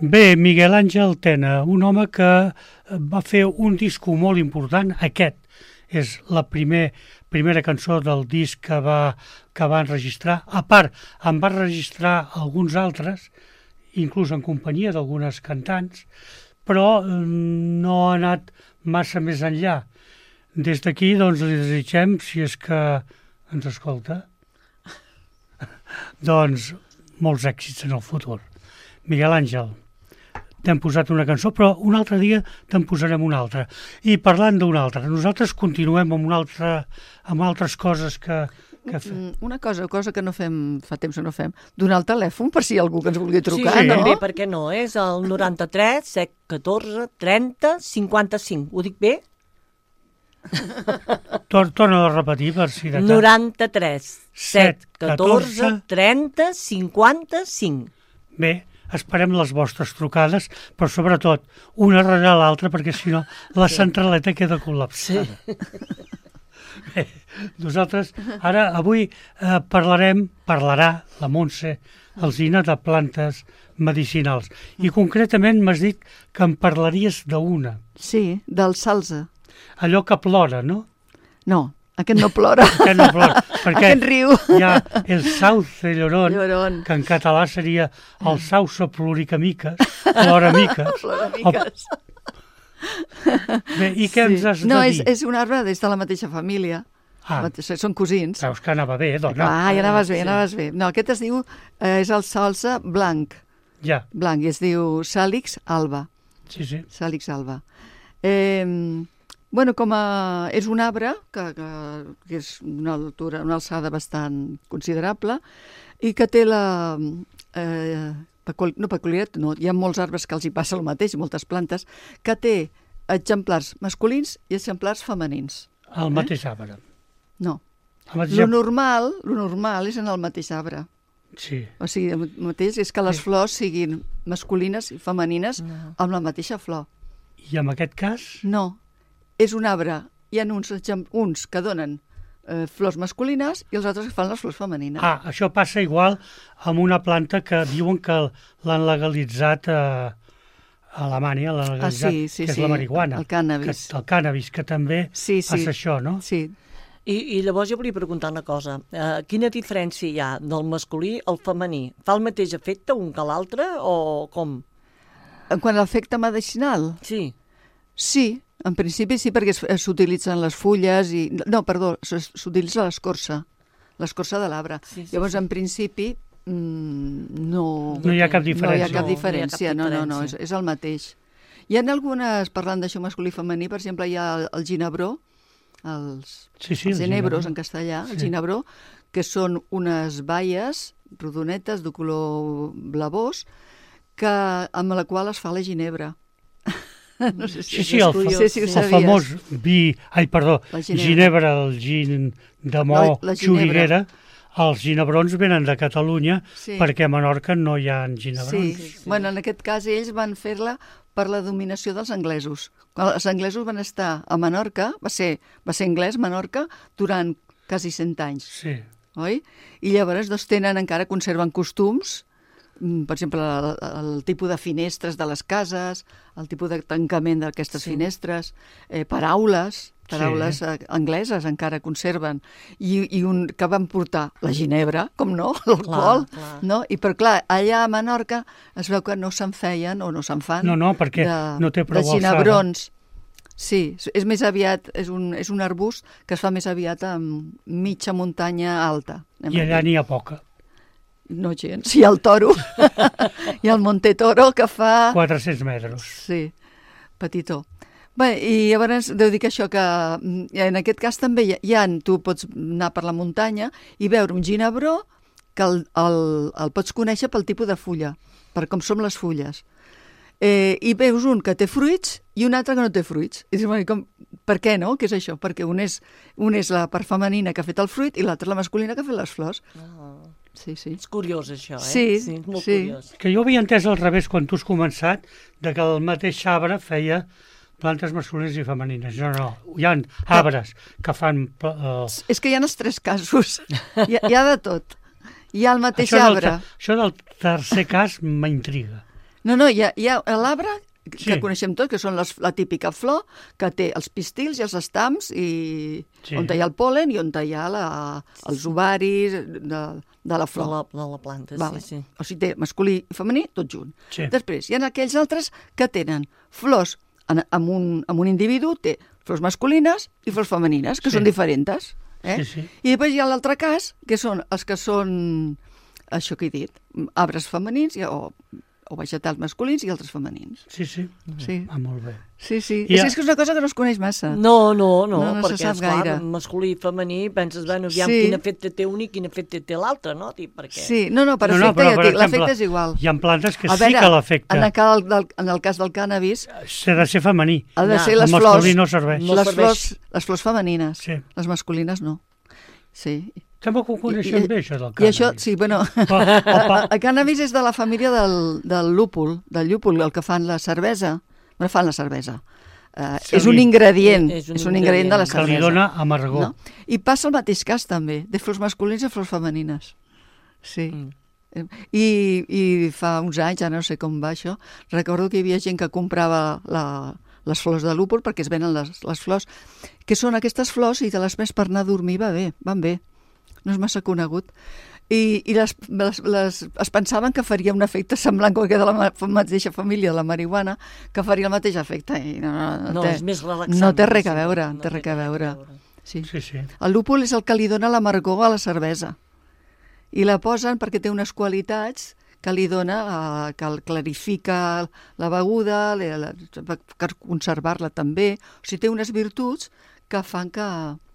[SPEAKER 1] Bé, Miguel Àngel Tena, un home que va fer un disco molt important, aquest és la primer, primera cançó del disc que va, que va enregistrar. A part, en va registrar alguns altres, inclús en companyia d'algunes cantants, però no ha anat massa més enllà. Des d'aquí, doncs, li desitgem, si és que ens escolta, doncs, molts èxits en el futur. Miguel Àngel, t'hem posat una cançó, però un altre dia te'n posarem una altra. I parlant d'una altra, nosaltres continuem amb, una altra, amb altres coses que, que fem.
[SPEAKER 2] Una cosa, cosa que no fem, fa temps que no fem, donar el telèfon per si algú que ens vulgui trucar,
[SPEAKER 4] sí,
[SPEAKER 2] no?
[SPEAKER 4] també, per què no? És el noranta-tres, set, catorze, trenta, cinquanta-cinc. Ho dic bé?
[SPEAKER 1] Tor Torna a repetir per si de cas.
[SPEAKER 4] noranta-tres, set, catorze, trenta, cinquanta-cinc.
[SPEAKER 1] Bé, esperem les vostres trucades, però sobretot una darrere l'altra, perquè si no la centraleta queda col·lapsada. Sí. Bé, nosaltres ara, avui, eh, parlarem, parlarà la Montse Alsina de plantes medicinals. I concretament m'has dit que em parlaries d'una.
[SPEAKER 2] Sí, del salze.
[SPEAKER 1] Allò que plora, no?
[SPEAKER 2] No, aquest no plora.
[SPEAKER 1] Aquest no plora, perquè
[SPEAKER 2] aquest riu.
[SPEAKER 1] hi ha el sauce llorón,
[SPEAKER 2] Llorón.
[SPEAKER 1] que en català seria el sauce ploricamiques, ploramiques.
[SPEAKER 2] Ploramiques.
[SPEAKER 1] Bé, i què ens has de
[SPEAKER 2] no,
[SPEAKER 1] dir?
[SPEAKER 2] és, és un arbre des de la mateixa família.
[SPEAKER 1] Ah.
[SPEAKER 2] Són cosins.
[SPEAKER 1] Veus que anava bé, dona.
[SPEAKER 2] Ah, ja anaves bé,
[SPEAKER 4] Sí.
[SPEAKER 2] anaves bé. No, aquest es diu, eh, és el salze blanc,
[SPEAKER 1] Ja,
[SPEAKER 2] blanc, i es diu Salix alba.
[SPEAKER 1] sí, sí.
[SPEAKER 2] Salix alba. Eh, bueno, com a, és un arbre que, que, que és una altura, una alçada bastant considerable i que té la... Eh, pecul no peculiaritat, no, hi ha molts arbres que els hi passa el mateix, moltes plantes, que té exemplars masculins i exemplars femenins.
[SPEAKER 1] El mateix arbre.
[SPEAKER 2] No.
[SPEAKER 1] El mateix
[SPEAKER 2] Lo
[SPEAKER 1] arbre.
[SPEAKER 2] normal, lo normal és en el mateix arbre.
[SPEAKER 1] Sí.
[SPEAKER 2] O sigui, el mateix és que les
[SPEAKER 1] Sí.
[SPEAKER 2] flors siguin masculines i femenines
[SPEAKER 4] No.
[SPEAKER 2] amb la mateixa flor.
[SPEAKER 1] I en aquest cas,
[SPEAKER 2] No, és un arbre. Hi ha uns, exem- uns que donen eh, flors masculines i els altres que fan les flors femenines.
[SPEAKER 1] ah, això passa igual amb una planta que diuen que l'han legalitzat a, a Alemanya, l'han legalitzat,
[SPEAKER 2] Ah, sí, sí,
[SPEAKER 1] que és
[SPEAKER 2] sí,
[SPEAKER 1] la marihuana.
[SPEAKER 2] el cànnabis.
[SPEAKER 1] Que, el cànnabis, que també
[SPEAKER 2] Sí, sí.
[SPEAKER 1] passa això, no?
[SPEAKER 2] Sí.
[SPEAKER 4] I, I llavors jo volia preguntar una cosa. Uh, quina diferència hi ha del masculí al femení? Fa el mateix efecte un que l'altre o com?
[SPEAKER 2] En quant a l'efecte medicinal,
[SPEAKER 4] Sí.
[SPEAKER 2] sí, en principi sí, perquè es- s'utilitzen les fulles i... No, perdó, s- s'utilitza l'escorça, l'escorça de l'arbre.
[SPEAKER 4] Sí, sí,
[SPEAKER 2] Llavors,
[SPEAKER 4] sí.
[SPEAKER 2] en principi, mm, no...
[SPEAKER 1] No hi ha cap
[SPEAKER 2] No hi
[SPEAKER 1] diferència.
[SPEAKER 2] ha cap
[SPEAKER 4] No, no hi ha
[SPEAKER 2] diferència,
[SPEAKER 4] cap
[SPEAKER 2] no, no, no, és,
[SPEAKER 4] diferència.
[SPEAKER 2] és el mateix. Hi ha algunes, parlant d'això masculí i femení, per exemple, hi ha el, el ginebró, els,
[SPEAKER 1] Sí, sí,
[SPEAKER 2] els
[SPEAKER 1] el
[SPEAKER 2] ginebros
[SPEAKER 1] ginebró.
[SPEAKER 2] en castellà, el
[SPEAKER 1] Sí.
[SPEAKER 2] ginebró, que són unes baies rodonetes de color blavós que, amb la qual es fa la ginebra. No sé si,
[SPEAKER 1] Sí, sí, el,
[SPEAKER 2] no
[SPEAKER 1] fa
[SPEAKER 2] sé si ho
[SPEAKER 1] el
[SPEAKER 2] sabies.
[SPEAKER 1] famós vi, ai, perdó,
[SPEAKER 2] La ginebra.
[SPEAKER 1] ginebra, el gin de Mo,
[SPEAKER 2] La- la ginebra.
[SPEAKER 1] Xuriguera, els ginebrons venen de Catalunya
[SPEAKER 2] Sí.
[SPEAKER 1] perquè a Menorca no hi ha ginebrons.
[SPEAKER 2] Sí,
[SPEAKER 4] sí, sí.
[SPEAKER 2] bueno, en aquest cas ells van fer-la per la dominació dels anglesos. Quan els anglesos van estar a Menorca, va ser, va ser anglès Menorca, durant quasi cent anys,
[SPEAKER 1] Sí.
[SPEAKER 2] oi? I llavors doncs, tenen, encara conserven costums, mm, per exemple, el, el tipus de finestres de les cases, el tipus de tancament d'aquestes
[SPEAKER 4] Sí.
[SPEAKER 2] finestres, eh, paraules, paraules
[SPEAKER 1] Sí.
[SPEAKER 2] eh, angleses encara conserven, i, i un que van portar la ginebra, com no, l'alcohol,
[SPEAKER 4] clar.
[SPEAKER 2] no? I però clar, allà a Menorca es veu que no se'n feien o no se'n fan
[SPEAKER 1] No, no, perquè
[SPEAKER 2] de,
[SPEAKER 1] no té prou
[SPEAKER 2] de
[SPEAKER 1] alçada.
[SPEAKER 2] ginebrons. Sí, és més aviat, és un, és un arbust que es fa més aviat amb mitja muntanya alta. anem
[SPEAKER 1] I
[SPEAKER 2] a
[SPEAKER 1] allà
[SPEAKER 2] dir.
[SPEAKER 1] n'hi ha poca,
[SPEAKER 2] No gens, hi ha el toro, hi ha el Monte Toro que fa...
[SPEAKER 1] quatre-cents metres.
[SPEAKER 2] Sí, petitó. Bé, i llavors deu dir que això que mm, en aquest cas també hi ha, hi ha, tu pots anar per la muntanya i veure un ginebró que el, el, el pots conèixer pel tipus de fulla, per com són les fulles. Eh, I veus un que té fruits i un altre que no té fruits. I dius, bueno, com, per què no? Què és això? Perquè un és, un és la part femenina que ha fet el fruit i l'altre la masculina que ha fet les flors.
[SPEAKER 4] Oh.
[SPEAKER 2] Sí, sí.
[SPEAKER 4] És curiós, això, eh?
[SPEAKER 2] Sí,
[SPEAKER 4] sí és molt
[SPEAKER 2] sí.
[SPEAKER 4] curiós.
[SPEAKER 1] Que jo havia entès al revés quan tu has començat, de que el mateix arbre feia plantes masculines i femenines. No, no, hi ha arbres que fan... Uh,
[SPEAKER 2] És que hi ha els tres casos. Hi ha, hi ha de tot. Hi ha el mateix
[SPEAKER 1] això, del,
[SPEAKER 2] arbre.
[SPEAKER 1] ter- això del tercer cas m'intriga.
[SPEAKER 2] No, no, hi ha, hi ha l'arbre que
[SPEAKER 1] Sí.
[SPEAKER 2] coneixem tots, que són les, la típica flor, que té els pistils i els estams, i
[SPEAKER 1] Sí.
[SPEAKER 2] on hi ha el pol·len i on hi ha la, els ovaris de, de la
[SPEAKER 4] De
[SPEAKER 2] flor.
[SPEAKER 4] la, de la planta,
[SPEAKER 2] Vale.
[SPEAKER 4] sí, sí.
[SPEAKER 2] O sigui, té masculí i femení tot junt.
[SPEAKER 1] Sí.
[SPEAKER 2] Després, hi ha aquells altres que tenen flors en, en, un, en un individu, té flors masculines i flors femenines, que
[SPEAKER 1] Sí.
[SPEAKER 2] són diferents. Eh?
[SPEAKER 1] Sí, sí.
[SPEAKER 2] I després hi ha l'altre cas, que són els que són, això que he dit, arbres femenins i- o, o vegetals masculins i altres femenins.
[SPEAKER 1] Sí, sí.
[SPEAKER 2] Sí,
[SPEAKER 1] Ah, molt bé.
[SPEAKER 2] sí. sí.
[SPEAKER 1] I
[SPEAKER 2] És,
[SPEAKER 1] ha-
[SPEAKER 2] és que és una cosa que no es coneix massa.
[SPEAKER 4] No, no, no,
[SPEAKER 2] No, no se
[SPEAKER 4] perquè,
[SPEAKER 2] sap
[SPEAKER 4] esclar,
[SPEAKER 2] gaire.
[SPEAKER 4] masculí i femení, penses, bueno, aviam
[SPEAKER 2] Sí.
[SPEAKER 4] quin efecte té un i quin efecte té l'altre, no? Dic, perquè...
[SPEAKER 2] Sí, no, no, per
[SPEAKER 1] No, no,
[SPEAKER 2] efecte,
[SPEAKER 1] però,
[SPEAKER 2] ja
[SPEAKER 1] per
[SPEAKER 2] et dic,
[SPEAKER 1] exemple,
[SPEAKER 2] l'efecte és igual.
[SPEAKER 1] Hi ha plantes que
[SPEAKER 2] A
[SPEAKER 1] sí
[SPEAKER 2] veure,
[SPEAKER 1] que l'afecta.
[SPEAKER 2] En el, cal del, en el cas del cànnabis,
[SPEAKER 1] S'ha de ser femení.
[SPEAKER 2] ha de
[SPEAKER 4] Ja,
[SPEAKER 2] ser les
[SPEAKER 1] el
[SPEAKER 2] flors,
[SPEAKER 1] masculí no serveix.
[SPEAKER 4] No
[SPEAKER 2] les,
[SPEAKER 4] serveix.
[SPEAKER 2] flors, les flors femenines,
[SPEAKER 1] Sí.
[SPEAKER 2] les masculines no. Sí.
[SPEAKER 1] Sembla que ho coneixem
[SPEAKER 2] I- i-
[SPEAKER 1] bé, això del
[SPEAKER 2] I
[SPEAKER 1] cànnabis.
[SPEAKER 2] això, sí, bueno,
[SPEAKER 1] Pa, pa,
[SPEAKER 2] el cànnabis és de la família del, del lúpul, del llúpol, el que fan la cervesa. Bueno, fan la cervesa. Uh,
[SPEAKER 1] Sí.
[SPEAKER 2] és un ingredient,
[SPEAKER 4] És un
[SPEAKER 2] és un ingredient de la
[SPEAKER 4] ingredient
[SPEAKER 1] que li
[SPEAKER 2] cervesa.
[SPEAKER 1] dona amargor.
[SPEAKER 2] No? I passa el mateix cas també, de flors masculines i flors femenines. Sí.
[SPEAKER 4] Mm.
[SPEAKER 2] Eh, I, I fa uns anys, ja no sé com va això, recordo que hi havia gent que comprava la, les flors de lúpul perquè es venen les, les flors, que són aquestes flors i de les més per anar a dormir va bé, van bé. No és massa conegut. I, i les, les, les, es pensaven que faria un efecte semblant com que de la ma- mateixa família de la marihuana, que faria el mateix efecte. I no, no, no,
[SPEAKER 4] No,
[SPEAKER 2] té,
[SPEAKER 4] és més relaxant.
[SPEAKER 2] no té res a
[SPEAKER 4] sí,
[SPEAKER 2] veure,
[SPEAKER 4] no
[SPEAKER 2] té res a veure. Sí.
[SPEAKER 1] Sí, sí.
[SPEAKER 2] El lúpul és el que li dona l'amargor a la cervesa. I la posen perquè té unes qualitats que li dona, eh, que el clarifica la beguda, la, la, per conservar-la també. O sigui, té unes virtuts que fan que,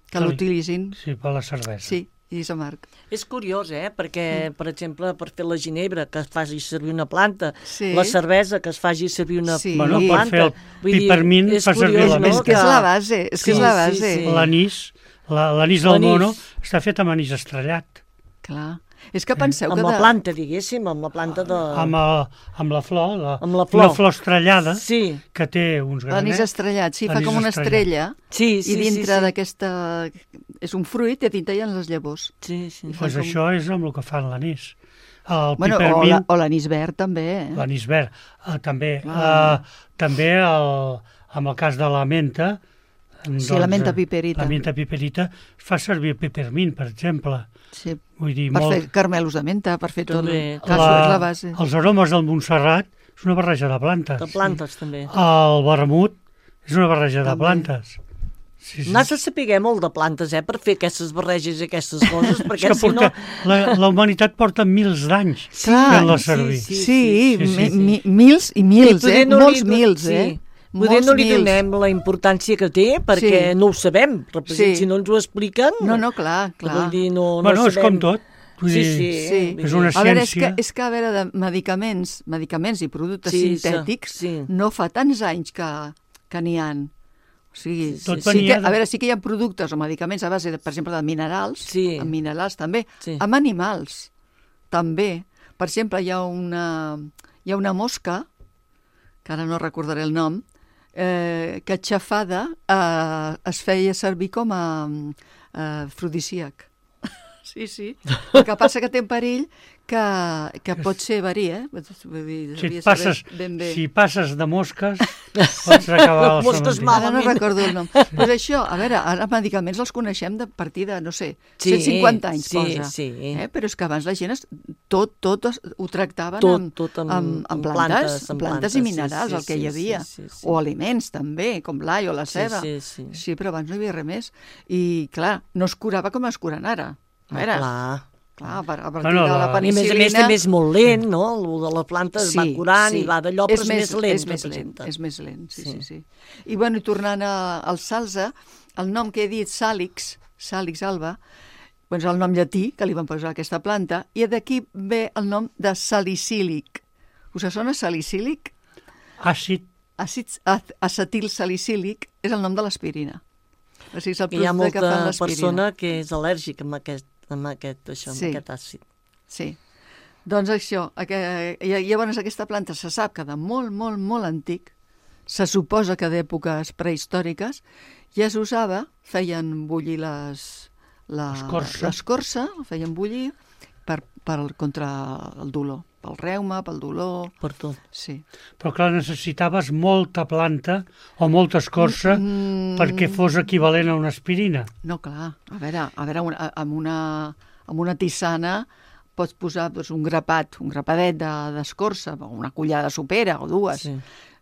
[SPEAKER 2] que
[SPEAKER 1] Que li-
[SPEAKER 2] l'utilitzin.
[SPEAKER 1] Sí, per la cervesa.
[SPEAKER 2] Sí, i és amarg.
[SPEAKER 4] És curiós, eh? Perquè, per exemple, per fer la ginebra, que es faci servir una planta,
[SPEAKER 2] Sí.
[SPEAKER 4] la cervesa, que es faci servir una,
[SPEAKER 2] Sí.
[SPEAKER 4] una
[SPEAKER 1] Bueno, per
[SPEAKER 4] planta.
[SPEAKER 1] fer el
[SPEAKER 4] Vull dir,
[SPEAKER 1] pipermint
[SPEAKER 4] és
[SPEAKER 1] fa servir
[SPEAKER 4] curiós,
[SPEAKER 1] la
[SPEAKER 4] no?
[SPEAKER 1] menta.
[SPEAKER 2] És que és la base, és que
[SPEAKER 4] Sí,
[SPEAKER 2] és la
[SPEAKER 4] sí,
[SPEAKER 2] base.
[SPEAKER 4] sí.
[SPEAKER 1] L'anís, la- l'anís del
[SPEAKER 4] L'anís.
[SPEAKER 1] mono, està fet amb anís estrellat.
[SPEAKER 2] Clar. És que penseu
[SPEAKER 4] Amb
[SPEAKER 2] que...
[SPEAKER 4] la
[SPEAKER 2] de...
[SPEAKER 4] planta, diguéssim, amb la planta de...
[SPEAKER 1] Amb, el, amb la flor, la,
[SPEAKER 4] Amb la flor.
[SPEAKER 1] una flor estrellada
[SPEAKER 4] Sí,
[SPEAKER 1] que té uns
[SPEAKER 2] L'anís
[SPEAKER 1] granets.
[SPEAKER 2] estrellat, sí, fa
[SPEAKER 1] Anís
[SPEAKER 2] com una
[SPEAKER 1] estrellat.
[SPEAKER 2] estrella
[SPEAKER 4] sí, sí.
[SPEAKER 2] i dintre
[SPEAKER 4] sí, sí.
[SPEAKER 2] d'aquesta... És un fruit i a dintre hi ha les llavors.
[SPEAKER 4] Sí, sí.
[SPEAKER 2] I fa
[SPEAKER 1] Pues
[SPEAKER 2] com-
[SPEAKER 1] això és amb el que fan l'anís. El
[SPEAKER 2] Bueno, o
[SPEAKER 1] pipermint,
[SPEAKER 2] la- o l'anís verd també, eh?
[SPEAKER 1] l'anís verd, eh, també.
[SPEAKER 2] Ah.
[SPEAKER 1] Eh, també el, amb el cas de la menta,
[SPEAKER 2] Sí, la menta
[SPEAKER 1] eh,
[SPEAKER 2] piperita.
[SPEAKER 1] La menta piperita fa servir pipermint, per exemple.
[SPEAKER 2] Sí,
[SPEAKER 1] Vull dir,
[SPEAKER 2] per
[SPEAKER 1] molt...
[SPEAKER 2] fer carmelos de menta, per fer tot.
[SPEAKER 4] També.
[SPEAKER 2] Clar, això és la base.
[SPEAKER 1] Els aromes del Montserrat és una barreja de plantes.
[SPEAKER 4] De plantes, també.
[SPEAKER 1] El vermut és una barreja de
[SPEAKER 2] També.
[SPEAKER 1] plantes. Sí, sí.
[SPEAKER 4] N'has de saber molt de plantes, eh, per fer aquestes barreges i aquestes coses,
[SPEAKER 1] És
[SPEAKER 4] perquè
[SPEAKER 1] que
[SPEAKER 4] si
[SPEAKER 1] porta,
[SPEAKER 4] no...
[SPEAKER 1] la, la humanitat porta mils d'anys
[SPEAKER 2] Clar,
[SPEAKER 1] fent-la
[SPEAKER 4] sí,
[SPEAKER 1] servir.
[SPEAKER 4] sí.
[SPEAKER 2] Sí,
[SPEAKER 1] sí, sí,
[SPEAKER 2] mi,
[SPEAKER 1] sí.
[SPEAKER 2] mi, mils i mils,
[SPEAKER 4] poder
[SPEAKER 2] eh?
[SPEAKER 4] no
[SPEAKER 2] Molts
[SPEAKER 4] li do-
[SPEAKER 2] mils,
[SPEAKER 4] sí.
[SPEAKER 2] eh?
[SPEAKER 4] Poder
[SPEAKER 2] Molts
[SPEAKER 4] no li
[SPEAKER 2] mils.
[SPEAKER 4] donem la importància que té, perquè
[SPEAKER 2] Sí.
[SPEAKER 4] no ho sabem. Represent,
[SPEAKER 2] Sí.
[SPEAKER 4] Si no ens ho expliquen...
[SPEAKER 2] No, no, clar, clar.
[SPEAKER 4] Vull dir, no,
[SPEAKER 1] Bueno,
[SPEAKER 4] no
[SPEAKER 1] és
[SPEAKER 4] sabem.
[SPEAKER 1] com tot. Vull
[SPEAKER 4] Sí,
[SPEAKER 1] dir,
[SPEAKER 4] sí.
[SPEAKER 2] Sí.
[SPEAKER 4] vull
[SPEAKER 1] És
[SPEAKER 4] dir-
[SPEAKER 1] una
[SPEAKER 2] A veure, és que,
[SPEAKER 1] ciència.
[SPEAKER 2] és que a veure, de medicaments, medicaments i productes
[SPEAKER 4] Sí,
[SPEAKER 2] sintètics,
[SPEAKER 4] sí.
[SPEAKER 2] no fa tants anys que, que n'hi ha. O sigui,
[SPEAKER 4] Sí,
[SPEAKER 1] Tot
[SPEAKER 2] sí
[SPEAKER 1] venia
[SPEAKER 2] que,
[SPEAKER 1] de-
[SPEAKER 2] a veure, sí que hi ha productes o medicaments a base, de, per exemple, de minerals,
[SPEAKER 4] Sí.
[SPEAKER 2] amb minerals també,
[SPEAKER 4] Sí.
[SPEAKER 2] amb animals també. Per exemple, hi ha una, hi ha una mosca, que ara no recordaré el nom, eh, que xafada eh, es feia servir com a eh, afrodisíac. Sí, sí. El que passa que té un perill que, que pot ser verí, eh? Vull dir,
[SPEAKER 1] Si,
[SPEAKER 2] devia
[SPEAKER 1] et passes,
[SPEAKER 2] saber ben bé.
[SPEAKER 1] si passes de mosques, pots acabar al
[SPEAKER 4] Mosques
[SPEAKER 1] cementiri.
[SPEAKER 4] mal.
[SPEAKER 2] Ara no
[SPEAKER 4] malament.
[SPEAKER 2] recordo el nom. Pues això, a veure, ara medicaments els coneixem de partir de, no sé,
[SPEAKER 4] Sí,
[SPEAKER 2] cent cinquanta anys
[SPEAKER 4] sí,
[SPEAKER 2] posa.
[SPEAKER 4] sí.
[SPEAKER 2] Eh? Però és que abans la gent es, tot, tot es, ho tractaven
[SPEAKER 4] Tot,
[SPEAKER 2] amb,
[SPEAKER 4] tot amb-
[SPEAKER 2] amb, amb
[SPEAKER 4] amb
[SPEAKER 2] plantes,
[SPEAKER 4] plantes,
[SPEAKER 2] amb
[SPEAKER 4] amb
[SPEAKER 2] plantes
[SPEAKER 4] plantes,
[SPEAKER 2] i
[SPEAKER 4] sí,
[SPEAKER 2] minerals,
[SPEAKER 4] sí,
[SPEAKER 2] el que
[SPEAKER 4] sí,
[SPEAKER 2] hi havia.
[SPEAKER 4] sí, sí, sí.
[SPEAKER 2] O aliments també, com l'all o la
[SPEAKER 4] Sí,
[SPEAKER 2] ceba.
[SPEAKER 4] sí, sí.
[SPEAKER 2] Sí, però abans no hi havia res més. I, clar, no es curava com es curen ara. A veure,
[SPEAKER 4] Clar.
[SPEAKER 2] clar, a par- a partir
[SPEAKER 1] Bueno,
[SPEAKER 2] de la
[SPEAKER 1] la-
[SPEAKER 4] I a
[SPEAKER 2] penicil·lina...
[SPEAKER 4] més a més també és molt lent, no? El de la planta es va curant i va d'allò, però és més lent.
[SPEAKER 2] És més lent,
[SPEAKER 4] representa.
[SPEAKER 2] és més lent, sí, sí,
[SPEAKER 4] Sí.
[SPEAKER 2] sí. I, bueno, i tornant a, al salsa, el nom que he dit, Sàlix, Sàlix alba, doncs el nom llatí que li van posar a aquesta planta, i d'aquí ve el nom de salicílic. Us sona salicílic?
[SPEAKER 1] Àcid,
[SPEAKER 2] Àcid acetil salicílic és el nom de l'aspirina. O sigui, és el
[SPEAKER 4] Hi ha
[SPEAKER 2] producte que fan
[SPEAKER 4] molta
[SPEAKER 2] l'aspirina.
[SPEAKER 4] persona que és al·lèrgica amb aquest, amb aquest, això,
[SPEAKER 2] Sí.
[SPEAKER 4] amb aquest àcid.
[SPEAKER 2] Sí. Doncs això, aqu- i llavors aquesta planta se sap que de molt, molt, molt antic, se suposa que d'èpoques prehistòriques, ja s'usava, feien bullir les, la,
[SPEAKER 1] L'escorça.
[SPEAKER 2] l'escorça, la feien bullir per, per, contra el dolor. pel reuma, pel dolor...
[SPEAKER 4] Per tot.
[SPEAKER 2] Sí.
[SPEAKER 1] Però clar, necessitaves molta planta o molta escorça
[SPEAKER 2] Mm.
[SPEAKER 1] perquè fos equivalent a una aspirina.
[SPEAKER 2] No, clar, a veure, a veure una, amb, una, amb una tisana pots posar doncs, un grapat, un grapadet de- d'escorça, o una cullada de sopera o dues,
[SPEAKER 4] Sí.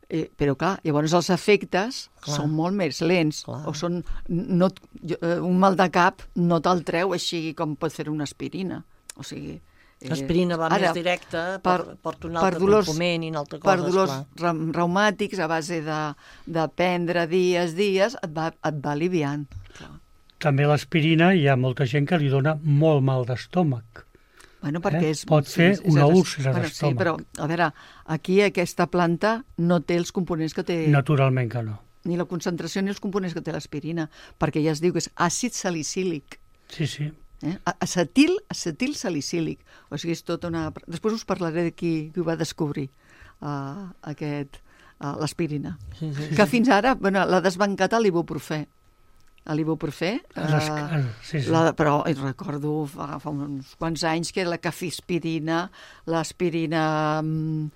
[SPEAKER 2] eh, però clar, llavors els efectes
[SPEAKER 4] Clar.
[SPEAKER 2] són molt més lents,
[SPEAKER 4] Clar.
[SPEAKER 2] o són, no, jo, eh, un mal de cap no te'l treu així com pot fer una aspirina, o sigui... eh,
[SPEAKER 4] L'aspirina va
[SPEAKER 2] ara,
[SPEAKER 4] més directa,
[SPEAKER 2] per-
[SPEAKER 4] per, porta un
[SPEAKER 2] per
[SPEAKER 4] altre
[SPEAKER 2] dolors-
[SPEAKER 4] component i una altra cosa,
[SPEAKER 2] per dolors
[SPEAKER 4] esclar.
[SPEAKER 2] ra- reumàtics a base de, de prendre dies, dies, et va, et va aliviant. Clar.
[SPEAKER 1] També l'aspirina hi ha molta gent que li dona molt mal d'estómac.
[SPEAKER 2] Bueno, perquè
[SPEAKER 1] Eh?
[SPEAKER 2] és,
[SPEAKER 1] Pot fer
[SPEAKER 2] és- és
[SPEAKER 1] una
[SPEAKER 2] eres-
[SPEAKER 1] úlcera
[SPEAKER 2] bueno, Sí,
[SPEAKER 1] d'estómac.
[SPEAKER 2] però, a veure, aquí aquesta planta no té els components que té,
[SPEAKER 1] Naturalment que no.
[SPEAKER 2] ni la concentració ni els components que té l'aspirina, perquè ja es diu que és àcid salicílic.
[SPEAKER 1] Sí, sí.
[SPEAKER 2] Eh? A- Acetil, acetil salicílic. O sigui, és tota una... Després us parlaré de qui, qui ho va descobrir, uh, aquest, uh, l'aspirina.
[SPEAKER 4] Sí, sí.
[SPEAKER 2] Que fins ara, bueno, l'ha desbancat a l'ibuprofè. A l'ibuprofè,
[SPEAKER 1] Les-
[SPEAKER 2] eh,
[SPEAKER 1] sí, sí.
[SPEAKER 2] la, però i recordo fa, fa uns quants anys que era la cafispirina, l'aspirina mm,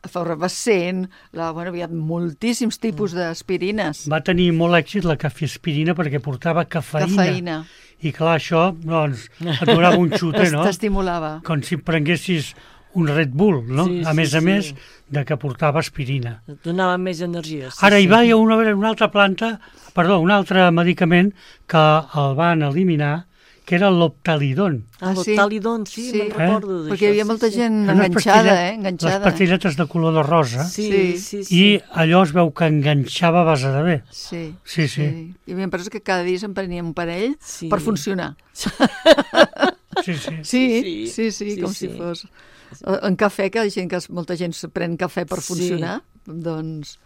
[SPEAKER 2] efervescent, la, bueno, hi havia moltíssims tipus d'aspirines.
[SPEAKER 1] Va tenir molt èxit la cafiaspirina perquè portava cafeïna.
[SPEAKER 2] Cafeïna.
[SPEAKER 1] I clar, això, doncs, et donava un xute, no?
[SPEAKER 2] T'estimulava.
[SPEAKER 1] Com si prenguessis un Red Bull, no?
[SPEAKER 4] Sí,
[SPEAKER 1] a
[SPEAKER 4] sí,
[SPEAKER 1] més a
[SPEAKER 4] sí.
[SPEAKER 1] més de que portava aspirina.
[SPEAKER 4] Et donava més energia. Sí,
[SPEAKER 1] Ara hi
[SPEAKER 4] sí.
[SPEAKER 1] va hi ha una, una altra planta, perdó, un altre medicament que el van eliminar, que era l'optalidon.
[SPEAKER 4] Ah,
[SPEAKER 2] Ah, sí?
[SPEAKER 4] l'Optalidon, sí,
[SPEAKER 2] Sí.
[SPEAKER 4] me'n recordo d'això.
[SPEAKER 2] Perquè hi havia
[SPEAKER 4] sí,
[SPEAKER 2] molta
[SPEAKER 4] sí.
[SPEAKER 2] gent
[SPEAKER 1] Unes
[SPEAKER 2] enganxada,
[SPEAKER 1] pastillet-
[SPEAKER 2] eh? Enganxada.
[SPEAKER 1] Les pastilletes de color de rosa.
[SPEAKER 4] Sí,
[SPEAKER 2] Sí.
[SPEAKER 4] sí, sí.
[SPEAKER 1] I allò es veu que enganxava a base de bé.
[SPEAKER 2] Sí,
[SPEAKER 1] Sí, sí.
[SPEAKER 2] Hi havia empreses que cada dia se'n prenien un parell
[SPEAKER 4] Sí.
[SPEAKER 2] per funcionar.
[SPEAKER 1] Sí, sí.
[SPEAKER 2] Sí,
[SPEAKER 4] Sí,
[SPEAKER 2] sí, sí,
[SPEAKER 4] sí,
[SPEAKER 2] com
[SPEAKER 4] sí.
[SPEAKER 2] si fos... En cafè, que hi ha gent que molta gent se pren cafè per
[SPEAKER 4] Sí.
[SPEAKER 2] funcionar, doncs...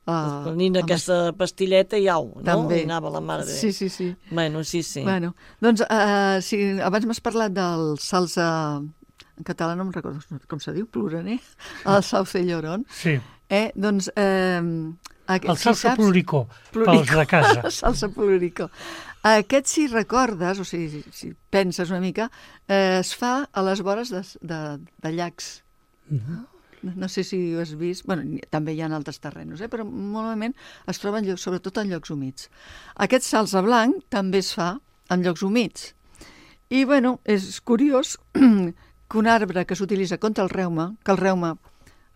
[SPEAKER 2] Uh,
[SPEAKER 4] Prenint aquesta pastilleta i au, no?
[SPEAKER 2] També.
[SPEAKER 4] I anava la mare de...
[SPEAKER 2] Sí, sí, sí.
[SPEAKER 4] Bueno, sí, sí.
[SPEAKER 2] Bueno, doncs, uh, si abans m'has parlat del salsa... En català no em recordo com se diu, pluraner, el salsa llorón.
[SPEAKER 1] sí.
[SPEAKER 2] Eh, doncs... Eh, aquest,
[SPEAKER 1] El salsa
[SPEAKER 2] saps-
[SPEAKER 1] pluricó,
[SPEAKER 2] Plurico.
[SPEAKER 1] pels de casa.
[SPEAKER 2] Salsa plurico. Aquest, si recordes, o sigui, si, si penses una mica, eh, es fa a les vores de, de, de llacs.
[SPEAKER 1] Mhm.
[SPEAKER 2] No, no sé si ho has vist. Bueno, ni- també hi ha en altres terrenos, eh? Però normalment es troba en llocs, sobretot en llocs humits. Aquest salsa blanc també es fa en llocs humits. I, bueno, és curiós que un arbre que s'utilitza contra el reuma, que el reuma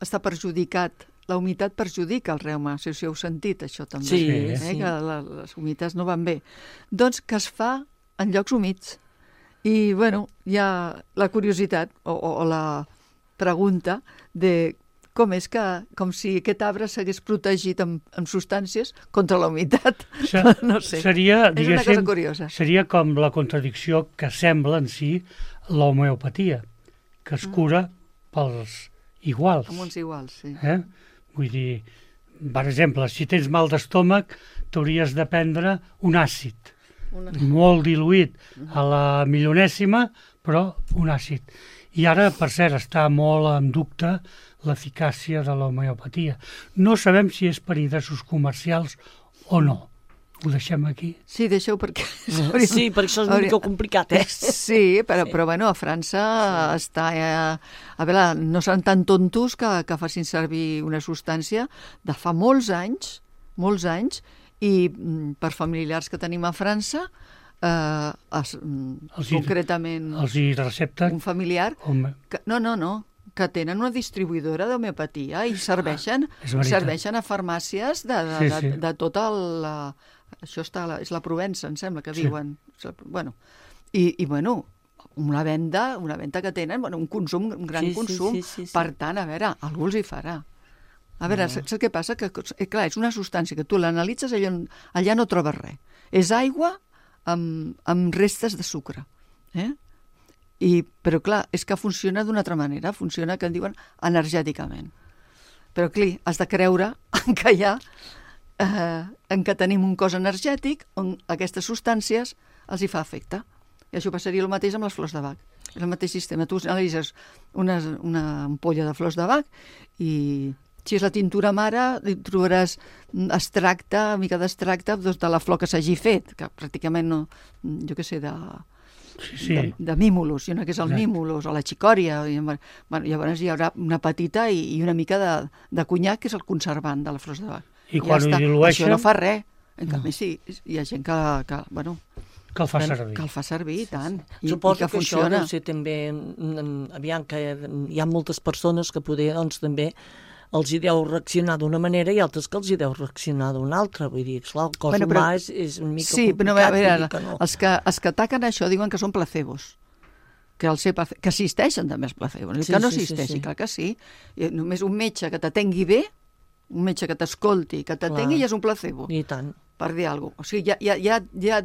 [SPEAKER 2] està perjudicat, la humitat perjudica el reuma, si, si heu sentit això també,
[SPEAKER 4] Sí,
[SPEAKER 2] eh?
[SPEAKER 4] sí.
[SPEAKER 2] que la, les humitats no van bé. Doncs que es fa en llocs humits. I, bueno, hi ha la curiositat o, o, o la pregunta de com és que, com si aquest arbre s'hagués protegit amb, amb substàncies contra la humitat.
[SPEAKER 1] Se-
[SPEAKER 2] No sé.
[SPEAKER 1] Seria,
[SPEAKER 2] És una
[SPEAKER 1] diguéssim,
[SPEAKER 2] cosa curiosa.
[SPEAKER 1] seria com la contradicció que sembla en si l'homeopatia, que es cura pels iguals.
[SPEAKER 2] Amb uns iguals, sí.
[SPEAKER 1] Eh? Vull dir, per exemple, si tens mal d'estómac, t'hauries de prendre un àcid,
[SPEAKER 2] Una...
[SPEAKER 1] molt diluït a la milionèsima, però un àcid. I ara, per cert, està molt en dubte l'eficàcia de l'homeopatia. No sabem si és per interessos comercials o no. Ho deixem aquí.
[SPEAKER 2] Sí, deixeu perquè...
[SPEAKER 4] Sí, perquè això és una mica complicat, eh?
[SPEAKER 2] Sí, però, però bueno, a França sí. està... Eh, a veure, no seran tan tontos que, que facin servir una substància de fa molts anys, molts anys, i mm, per familiars que tenim a França, eh, es, mm,
[SPEAKER 1] Els hi-
[SPEAKER 2] concretament
[SPEAKER 1] Els hi recepten...
[SPEAKER 2] un familiar...
[SPEAKER 1] Home,
[SPEAKER 2] Que, no, no, no, que tenen una distribuïdora d'homeopatia i serveixen,
[SPEAKER 1] és veritat.
[SPEAKER 2] serveixen a farmàcies de, de,
[SPEAKER 1] Sí,
[SPEAKER 2] de,
[SPEAKER 1] sí.
[SPEAKER 2] de tota la... Això està, a la, és la Provença, em sembla que
[SPEAKER 1] Sí.
[SPEAKER 2] diuen. Bueno, i, i bueno, una venda, una venda que tenen, bueno, un consum, un gran
[SPEAKER 4] Sí, sí,
[SPEAKER 2] consum.
[SPEAKER 4] sí, sí, sí.
[SPEAKER 2] Per tant, a veure, algú els hi farà. A veure, saps saps què passa? Que, eh, clar, és una substància que tu l'analitzes, allà, allà no trobes res. És aigua amb, amb restes de sucre. Eh? I, però clar, és que funciona d'una altra manera, funciona, que en diuen, energèticament. Però clar, has de creure que hi ha, eh, en què tenim un cos energètic on aquestes substàncies els hi fa efecte. I això passaria el mateix amb les flors de Bach. És el mateix sistema. Tu analitzes una, una ampolla de flors de Bach i si és la tintura mare, hi trobaràs extracte, mica d'extracte doncs, de la flor que s'hagi fet, que pràcticament no, jo què sé, de,
[SPEAKER 1] sí, sí.
[SPEAKER 2] de, de mimulus, i una que és el
[SPEAKER 1] Exacte.
[SPEAKER 2] mimulus, o la xicòria, i, bueno, llavors hi haurà una petita i, i una mica de, de conyac, que és el conservant de les flors de Bach.
[SPEAKER 1] I quan ho dilueixen...
[SPEAKER 2] Això no fa res. En canvi, sí, hi ha gent que, que, bueno,
[SPEAKER 1] Que el fa servir.
[SPEAKER 2] que el fa servir, i tant. I,
[SPEAKER 4] Suposo
[SPEAKER 2] i que,
[SPEAKER 4] que, això
[SPEAKER 2] funciona.
[SPEAKER 4] deu ser també, mm, aviam, que hi ha moltes persones que poder, doncs, també els hi deu reaccionar d'una manera i altres que els hi deu reaccionar d'una altra. Vull dir, clar, el cos
[SPEAKER 2] Bueno,
[SPEAKER 4] humà
[SPEAKER 2] però-
[SPEAKER 4] és, és una mica
[SPEAKER 2] Sí, però a
[SPEAKER 4] complicat.
[SPEAKER 2] veure,
[SPEAKER 4] vull dir que no.
[SPEAKER 2] els, que, els que ataquen això diuen que són placebos, que, el ser place... que existeixen també els placebos,
[SPEAKER 4] Sí,
[SPEAKER 2] que no
[SPEAKER 4] sí, sí,
[SPEAKER 2] existeixi,
[SPEAKER 4] sí.
[SPEAKER 2] clar que sí. I només un metge que t'atengui bé, un metge que t'escolti, que t'atengui,
[SPEAKER 4] Clar.
[SPEAKER 2] ja és un placebo,
[SPEAKER 4] I tant.
[SPEAKER 2] per dir alguna cosa. O sigui, ja, ja, ja, ja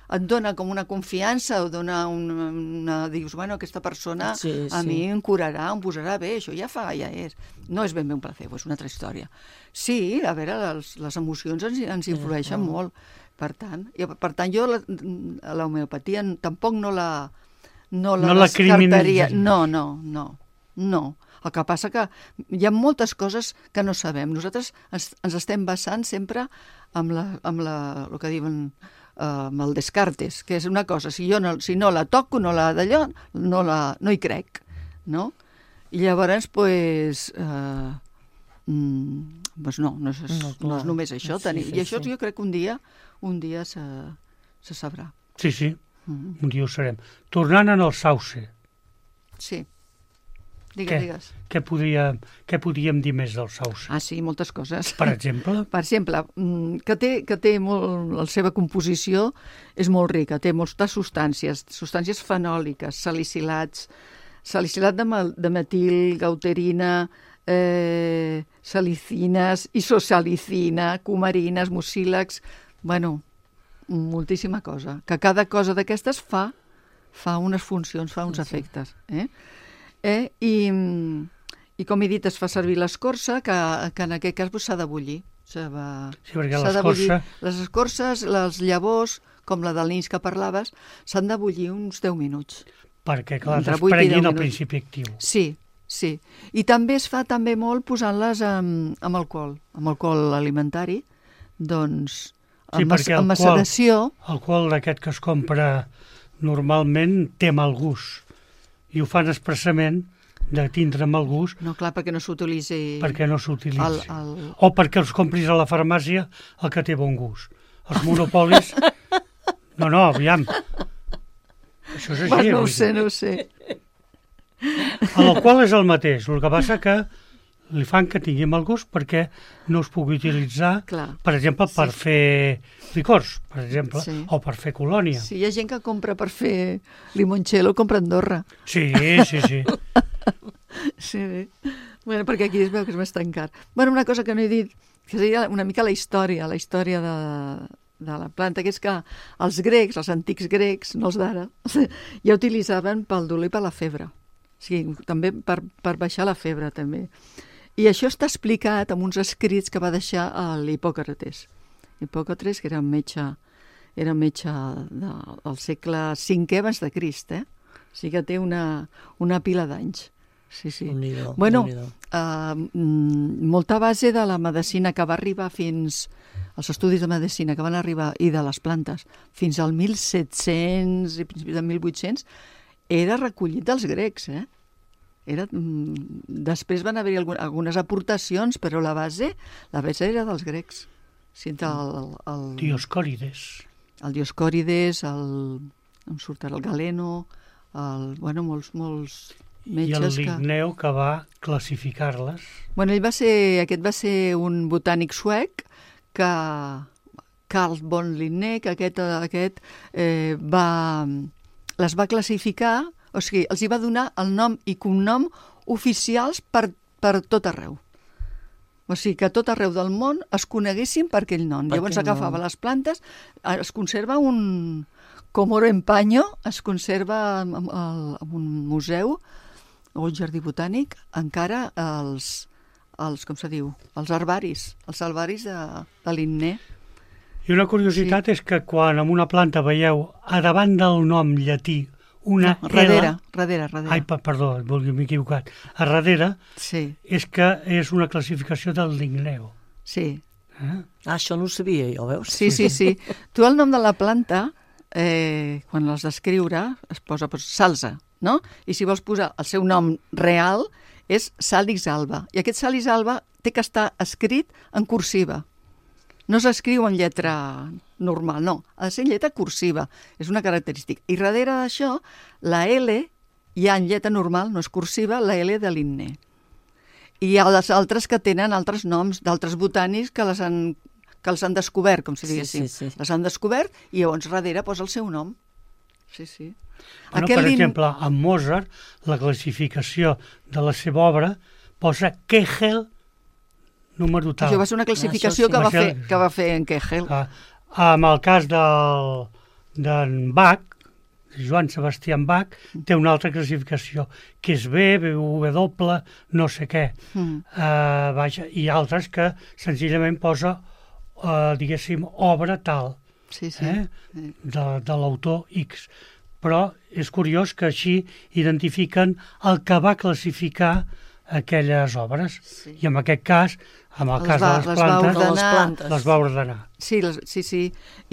[SPEAKER 2] et dona com una confiança, o dona una, una... dius, bueno, aquesta persona
[SPEAKER 4] Sí,
[SPEAKER 2] a
[SPEAKER 4] sí.
[SPEAKER 2] mi em curarà, em posarà bé, això ja fa, ja és. No és ben bé un placebo, és una altra història. Sí, a veure, les, les emocions ens, ens influeixen
[SPEAKER 4] no.
[SPEAKER 2] molt. Per tant, i, per tant jo la, l'homeopatia tampoc no la no la,
[SPEAKER 1] No la
[SPEAKER 2] descartaria.
[SPEAKER 1] criminalitzaries.
[SPEAKER 2] No, no, no, no. El que passa que hi ha moltes coses que no sabem. Nosaltres ens, ens estem basant sempre amb, la, amb la, el que diuen eh, amb el Descartes, que és una cosa, si jo no, si no la toco, no la d'allò, no, la, no hi crec, no? I llavors, pues, eh, mm, pues no, no és,
[SPEAKER 4] No,
[SPEAKER 2] no,
[SPEAKER 4] clar.
[SPEAKER 2] és només això.
[SPEAKER 4] Sí,
[SPEAKER 2] Tenir.
[SPEAKER 4] sí,
[SPEAKER 2] I això
[SPEAKER 4] sí.
[SPEAKER 2] jo crec que un dia, un dia se, se sabrà.
[SPEAKER 1] Sí, sí,
[SPEAKER 2] Mm.
[SPEAKER 1] un dia ho serem. Tornant en el sauce,
[SPEAKER 2] Sí. Digues,
[SPEAKER 1] Què?
[SPEAKER 2] digues.
[SPEAKER 1] què, podria, què podríem dir més del sauce?
[SPEAKER 2] Ah, sí, moltes coses.
[SPEAKER 1] Per exemple,
[SPEAKER 2] Per exemple, mm, que té, que té molt, la seva composició és molt rica, té moltes substàncies, substàncies fenòliques, salicilats, salicilat de, mal, de metil, gauterina, eh, salicines, isosalicina, cumarines, mucílags, bueno, moltíssima cosa. Que cada cosa d'aquestes fa, fa unes funcions, fa uns
[SPEAKER 4] Sí.
[SPEAKER 2] efectes. Eh? Eh? I, I com he dit, es fa servir l'escorça, que, que en aquest cas pues, s'ha de bullir. S'ha de-
[SPEAKER 1] sí, perquè
[SPEAKER 2] s'ha de bullir.
[SPEAKER 1] l'escorça...
[SPEAKER 2] Les escorces, les llavors, com la del nins que parlaves, s'han de bullir uns deu minuts.
[SPEAKER 1] Perquè, clar,
[SPEAKER 2] Entre vuit i
[SPEAKER 1] desprenguin
[SPEAKER 2] deu
[SPEAKER 1] el
[SPEAKER 2] minuts.
[SPEAKER 1] principi actiu.
[SPEAKER 2] Sí, sí. I també es fa també molt posant-les amb, amb alcohol, amb alcohol alimentari, doncs
[SPEAKER 1] Sí,
[SPEAKER 2] amb,
[SPEAKER 1] perquè
[SPEAKER 2] amb
[SPEAKER 1] el alcohol-
[SPEAKER 2] maceració...
[SPEAKER 1] Alcohol d'aquest que es compra normalment té mal gust i ho fan expressament de tindre mal gust
[SPEAKER 2] No, clar, perquè no s'utilitzi...
[SPEAKER 1] perquè no s'utilitzi.
[SPEAKER 2] el, el...
[SPEAKER 1] O perquè els compris a la farmàcia el que té bon gust. Els monopolis... No, no, aviam. Això és així.
[SPEAKER 2] Bueno, no
[SPEAKER 1] vull
[SPEAKER 2] ho sé,
[SPEAKER 1] dir.
[SPEAKER 2] no ho sé.
[SPEAKER 1] L'alcohol és el mateix, el que passa que li fan que tingui mal gust perquè no es pugui utilitzar,
[SPEAKER 2] Clar.
[SPEAKER 1] per exemple, per
[SPEAKER 2] Sí.
[SPEAKER 1] fer licors, per exemple,
[SPEAKER 2] Sí.
[SPEAKER 1] o per fer colònia.
[SPEAKER 2] Sí, hi ha gent que compra per fer limoncello, compra a Andorra.
[SPEAKER 1] Sí, sí, sí.
[SPEAKER 2] Sí, bé. Bueno, perquè aquí es veu que és més tancat. Bueno, una cosa que no he dit, que seria una mica la història, la història de, de la planta, que és que els grecs, els antics grecs, no els d'ara, ja utilitzaven pel dolor i per la febre. O sigui, també per, per baixar la febre, també. I això està explicat en uns escrits que va deixar l'Hipòcrates. Hipòcrates, que era un metge, era un metge de, del segle cinquè abans de Crist, eh? O sigui que té una, una pila d'anys. Sí, sí.
[SPEAKER 4] Déu-n'hi-do,
[SPEAKER 2] Bueno,
[SPEAKER 4] Déu-n'hi-do.
[SPEAKER 2] uh, mm, molta base de la medicina que va arribar fins... els estudis de medicina que van arribar, i de les plantes, fins al mil set-cents i principis del mil vuit-cents, era recollit dels grecs, eh? Era, mm, després van haver-hi algun, algunes aportacions, però la base, la base era dels grecs. Sí, el, el, el,
[SPEAKER 1] Dioscòrides.
[SPEAKER 2] el Dioscòrides, el, em surt ara el Galeno, el, bueno, molts, molts
[SPEAKER 1] I el
[SPEAKER 2] metges que...
[SPEAKER 1] Linneu que va classificar-les.
[SPEAKER 2] Bueno, ell va ser, aquest va ser un botànic suec que Carl von Linné, que aquest, aquest eh, va, les va classificar, o sigui, els hi va donar el nom i cognom oficials per, per tot arreu. O sigui, que a tot arreu del món es coneguessin per aquell nom.
[SPEAKER 4] Per
[SPEAKER 2] Llavors
[SPEAKER 4] aquell
[SPEAKER 2] agafava
[SPEAKER 4] nom.
[SPEAKER 2] les plantes, es conserva un... Com oro en paño, es conserva en, en, en un museu o un jardí botànic, encara els, els com se diu, els herbaris, els herbaris de, de Linné.
[SPEAKER 1] I una curiositat sí. és que quan en una planta veieu a davant del nom llatí una
[SPEAKER 2] no, darrere,
[SPEAKER 1] L...
[SPEAKER 2] darrere, darrere.
[SPEAKER 1] Ai, pa- perdó, m'he equivocat. A darrere
[SPEAKER 2] Sí,
[SPEAKER 1] és que és una classificació del Linneu.
[SPEAKER 2] sí.
[SPEAKER 1] Eh?
[SPEAKER 4] Ah, això no ho sabia jo, veus?
[SPEAKER 2] Sí, sí, sí. Tu el nom de la planta eh, quan l'has d'escriure, es posa pues, Salsa, no? I si vols posar el seu nom real, és Sàlix Alba. I aquest Sàlix Alba té que estar escrit en cursiva. No s'escriu en lletra normal, no. Ha de ser en lletra cursiva. És una característica. I darrere d'això, la L hi ha en lletra normal, no és cursiva, la L de Linné. I hi ha les altres que tenen altres noms d'altres botànics que les han que els han descobert, com si diguéssim. Sí, sí, sí. Les han descobert i llavors darrere posa el seu nom. Sí, sí.
[SPEAKER 1] Bueno, per lin... exemple, amb Mozart, la classificació de la seva obra posa Kegel número tal.
[SPEAKER 2] Això va ser una classificació ah, sí. que, va fer, que va fer en Kegel. Ah,
[SPEAKER 1] amb el cas del, d'en Bach, Joan Sebastián Bach, té una altra classificació, que és B, B W, no sé què. Mm. Uh, vaja, i altres que senzillament posa Uh, diguéssim, obra tal,
[SPEAKER 2] sí, sí.
[SPEAKER 1] Eh? de, de l'autor X. Però és curiós que així identifiquen el que va classificar aquelles obres. Sí. I en aquest cas, en el les cas va, de les, les plantes,
[SPEAKER 2] va les plantes,
[SPEAKER 1] les va ordenar.
[SPEAKER 2] Sí, les, sí, sí.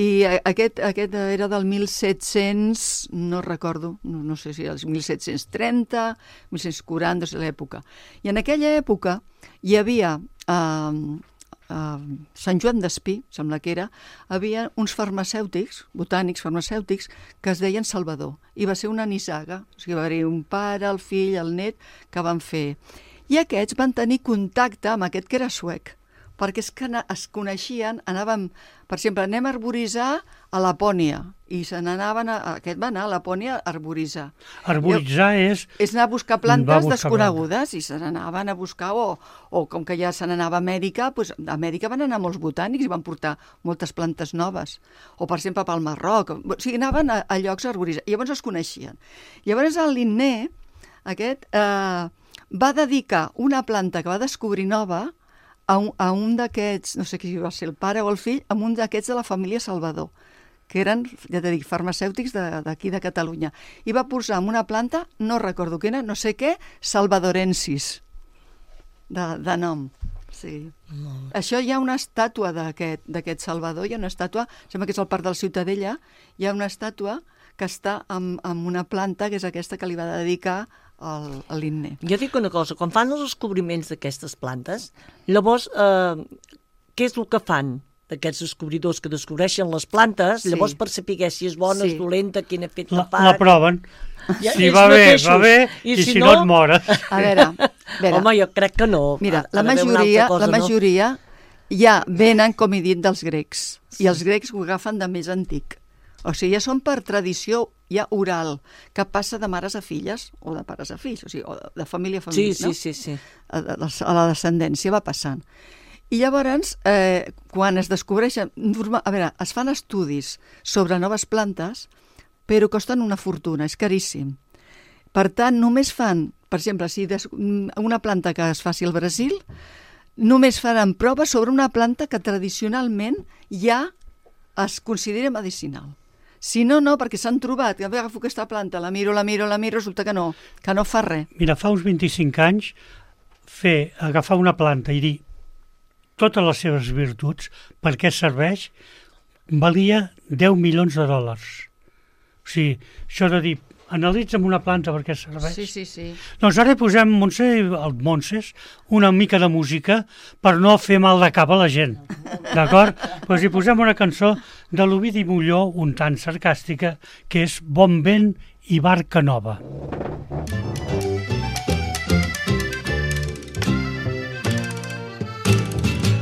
[SPEAKER 2] I aquest, aquest era del mil set-cents, no recordo, no, no sé si era el mil set-cents trenta, mil set-cents quaranta, és l'època. I en aquella època hi havia... Eh, Uh, Sant Joan d'Espí, sembla que era, havia uns farmacèutics, botànics farmacèutics, que es deien Salvador. I va ser una nissaga, o sigui, va haver un pare, el fill, el net, que van fer. I aquests van tenir contacte amb aquest que era suec, perquè és que es coneixien, anàvem, per exemple, anem a arboritzar a Lapònia, i se n'anaven, a, aquest va anar a Lapònia a arboritzar.
[SPEAKER 1] Arboritzar I, és...
[SPEAKER 2] És anar a buscar plantes buscar desconegudes, plantes. I se n'anaven a buscar, o, o com que ja se n'anava a Amèrica, doncs a Amèrica van anar molts botànics i van portar moltes plantes noves. O, per exemple, pel Marroc. O sigui, anaven a, a llocs a arboritzar. I llavors es coneixien. Llavors el Linné, aquest, eh, va dedicar una planta que va descobrir nova a un, a un d'aquests, no sé qui va ser el pare o el fill, a un d'aquests de la família Salvador, que eren, ja t'he dit, farmacèutics d'aquí de, de Catalunya. I va posar en una planta, no recordo quina, no sé què, salvadorensis, de, de nom. Sí. No. Això hi ha una estàtua d'aquest Salvador, hi ha una estàtua, sembla que és al Parc de la Ciutadella, hi ha una estàtua que està amb, amb una planta, que és aquesta que li va dedicar al, a l'Inné.
[SPEAKER 4] Jo dic una cosa, quan fan els descobriments d'aquestes plantes, llavors, eh, què és el que fan d'aquests descobridors que descobreixen les plantes, sí. Llavors per saber si és bona, sí. És dolenta, quin efecte
[SPEAKER 1] la,
[SPEAKER 4] fa...
[SPEAKER 1] La proven. Ja, si va bé, mateixos. Va bé, i, i si, si no, no et mores.
[SPEAKER 2] A veure, a veure.
[SPEAKER 4] Home, jo crec que no.
[SPEAKER 2] Mira, la majoria, cosa, la majoria no? ja venen, com he dit, dels grecs. Sí. I els grecs ho agafen de més antic. O sigui, ja són per tradició ja oral, que passa de mares a filles, o de pares a fills, o sigui, o de família a família,
[SPEAKER 4] sí,
[SPEAKER 2] no?
[SPEAKER 4] Sí, sí, sí.
[SPEAKER 2] A, a la descendència va passant. I llavors, eh, quan es descobreixen... Normal, a veure, es fan estudis sobre noves plantes, però costen una fortuna, és caríssim. Per tant, només fan, per exemple, si des, una planta que es faci al Brasil, només faran proves sobre una planta que tradicionalment ja es considera medicinal. Si no, no, perquè s'han trobat, que agafo aquesta planta, la miro, la miro, la miro, resulta que no, que no fa res.
[SPEAKER 1] Mira, fa uns vint-i-cinc anys, fer, agafar una planta i dir totes les seves virtuts, per què serveix, valia deu milions de dòlars. O sigui, això de dir, analitza'm una planta per què serveix.
[SPEAKER 2] Sí, sí, sí.
[SPEAKER 1] Doncs ara posem, Montse, el Montses, una mica de música per no fer mal de cap a la gent. D'acord? Doncs hi posem una cançó de l'Ovidi Molló, un tant sarcàstica, que és Bon vent i barca nova.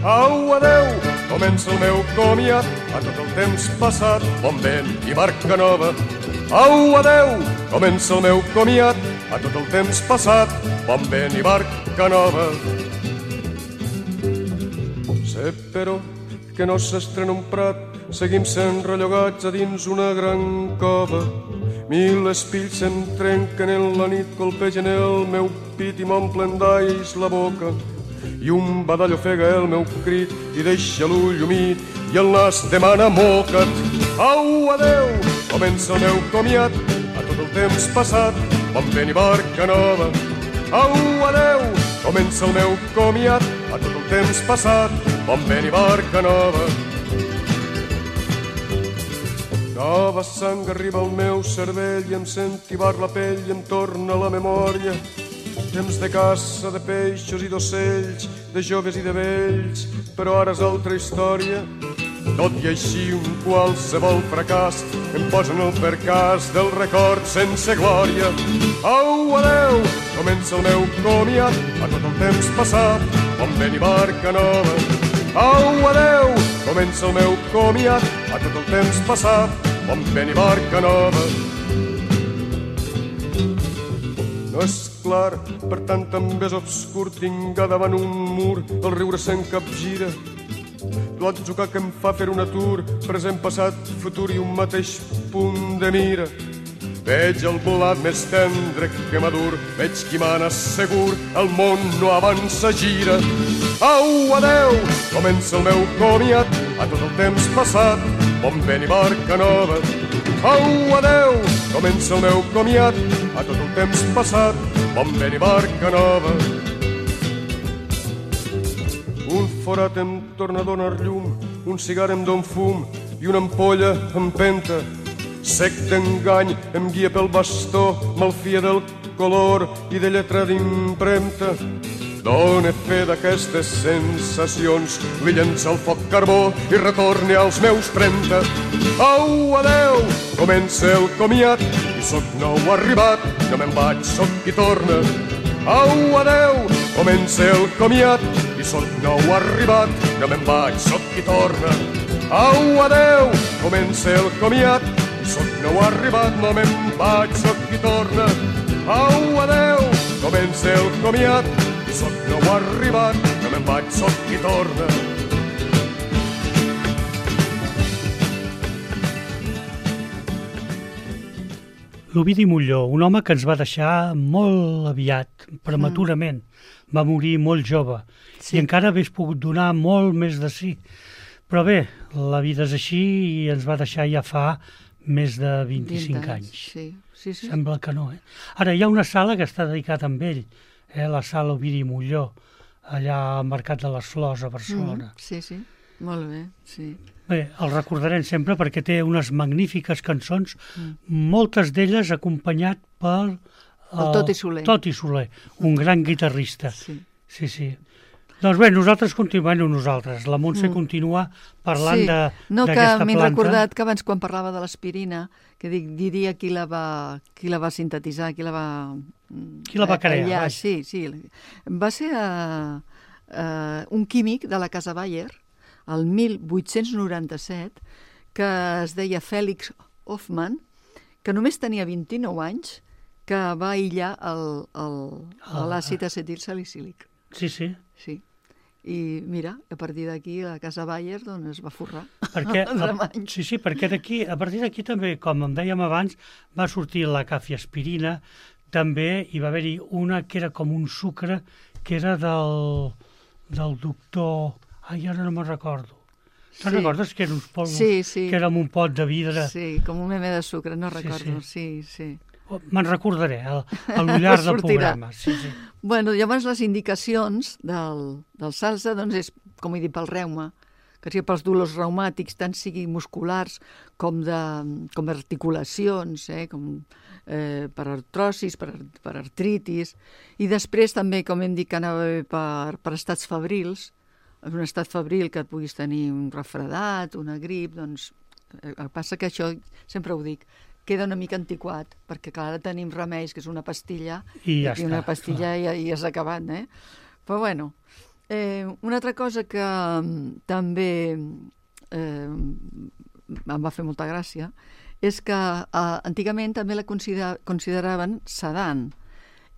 [SPEAKER 5] Au, adeu, comença el meu comiat, a tot el temps passat, bon vent i barca nova. Au, adeu, comença el meu comiat, a tot el temps passat, bon vent i barca nova. Sé, però, que no s'estrena un prat, seguim sent rellogats a dins una gran cova. Mil espills se'm trenquen en la nit, colpegen el meu pit i m'omplen d'ais la boca. I un badall ofega el meu crit i deixa l'ull humit i el nas demana moca't. Au, adeu, comença el meu comiat, a tot el temps passat, bon vent i barca nova. Au, adeu, comença el meu comiat, a tot el temps passat, bon vent i barca nova. Nova nova sang arriba al meu cervell i em sent tibar la pell i em torna la memòria. Temps de caça, de peixos i d'ocells, de joves i de vells, però ara és altra història. Tot i així un qualsevol fracàs em posa en el percàs del record sense glòria. Au, adeu, comença el meu comiat a tot el temps passat, bon vent i barca nova. Au, adeu, comença el meu comiat a tot el temps passat, bon vent i barca nova. No és clar, per tant també és obscur, tinc a davant un mur, el riure se'n capgira. L'atzucar que em fa fer un atur, present, passat, futur i un mateix punt de mira. Veig el blat més tendre que madur, veig qui mana segur, el món no avança, gira. Au, adeu, comença el meu comiat a tot el temps passat, bon vent i barca nova. Au, adeu, comença el meu comiat a tot el temps passat, bon vent i barca nova. Un forat em torna a donar llum, un cigar em don fum i una ampolla empenta. Sec d'engany em guia pel bastó, malfia del color i de lletra d'impremta. Dóna fe d'aquestes sensacions, li llença el foc carbó i retorni als meus trenta. Au, adeu, comença el comiat i soc nou arribat, no me'n vaig, soc qui torna. Au, adeu, comença el comiat i soc nou arribat, no me'n vaig, soc qui torna. Au, adeu, comença el comiat i soc nou arribat, no me'n vaig, soc qui torna. Au, adeu, comença el comiat i soc nou arribat, no me'n vaig, soc qui torna.
[SPEAKER 1] L'Ovidi Molló, un home que ens va deixar molt aviat, prematurament. Va morir molt jove sí. I encara hagués pogut donar molt més de si. Però bé, la vida és així i ens va deixar ja fa més de vint-i-cinc anys.
[SPEAKER 2] Sí, sí, sí.
[SPEAKER 1] Sembla que no, eh? Ara, hi ha una sala que està dedicada a ell, eh? La sala Ovidi Molló, allà al Mercat de les Flors, a Barcelona.
[SPEAKER 2] Mm, sí, sí, molt bé, sí.
[SPEAKER 1] Bé, el recordarem sempre perquè té unes magnífiques cançons, mm. moltes d'elles acompanyat per
[SPEAKER 2] el Toti Soler.
[SPEAKER 1] Toti Soler, un gran guitarrista.
[SPEAKER 2] Sí.
[SPEAKER 1] Sí, sí. Doncs bé, nosaltres continuem nosaltres. La Montse mm. continua parlant
[SPEAKER 2] sí.
[SPEAKER 1] de,
[SPEAKER 2] no,
[SPEAKER 1] d'aquesta planta.
[SPEAKER 2] No, que m'he recordat que abans quan parlava de l'aspirina, que dic, diria qui la va, qui la va sintetitzar, qui la va...
[SPEAKER 1] Qui la va crear?
[SPEAKER 2] Allà, sí, sí. Va ser uh, uh, un químic de la Casa Bayer, el mil vuit-cents noranta-set, que es deia Fèlix Hoffmann, que només tenia vint-i-nou anys, que va aïllar l'àcid acetilsalicílic.
[SPEAKER 1] Sí, sí.
[SPEAKER 2] Sí. I mira, a partir d'aquí la Casa Bayer doncs, es va forrar.
[SPEAKER 1] Perquè, a, sí, sí, perquè d'aquí, a partir d'aquí també, com em dèiem abans, va sortir la cafiaspirina, també hi va haver-hi una que era com un sucre, que era del, del doctor... Ai, ara no me'n recordo. Te'n sí. recordes que eren uns polvos?
[SPEAKER 2] Sí, sí.
[SPEAKER 1] Que era amb un pot de vidre?
[SPEAKER 2] Sí, com un meme de sucre, no recordo. Sí, sí. sí.
[SPEAKER 1] Oh, me'n recordaré, a, a l'ullar del programa. Sí, sí.
[SPEAKER 2] Bueno, llavors les indicacions del, del salsa, doncs és, com he dit, pel reuma, que sigui pels dolors reumàtics, tant sigui musculars com de com articulacions, eh, com eh, per artrosis, per, per artritis, i després també, com hem dit, que anava bé per, per estats febrils, en un estat febril que puguis tenir un refredat, una grip, doncs el que passa que això, sempre ho dic, queda una mica antiquat, perquè clar, ara tenim remeis, que és una pastilla,
[SPEAKER 1] i ja i
[SPEAKER 2] una
[SPEAKER 1] està,
[SPEAKER 2] pastilla i, i has acabat, eh? Però bueno, eh, una altra cosa que um, també eh, em va fer molta gràcia és que eh, antigament també la considera, consideraven sedant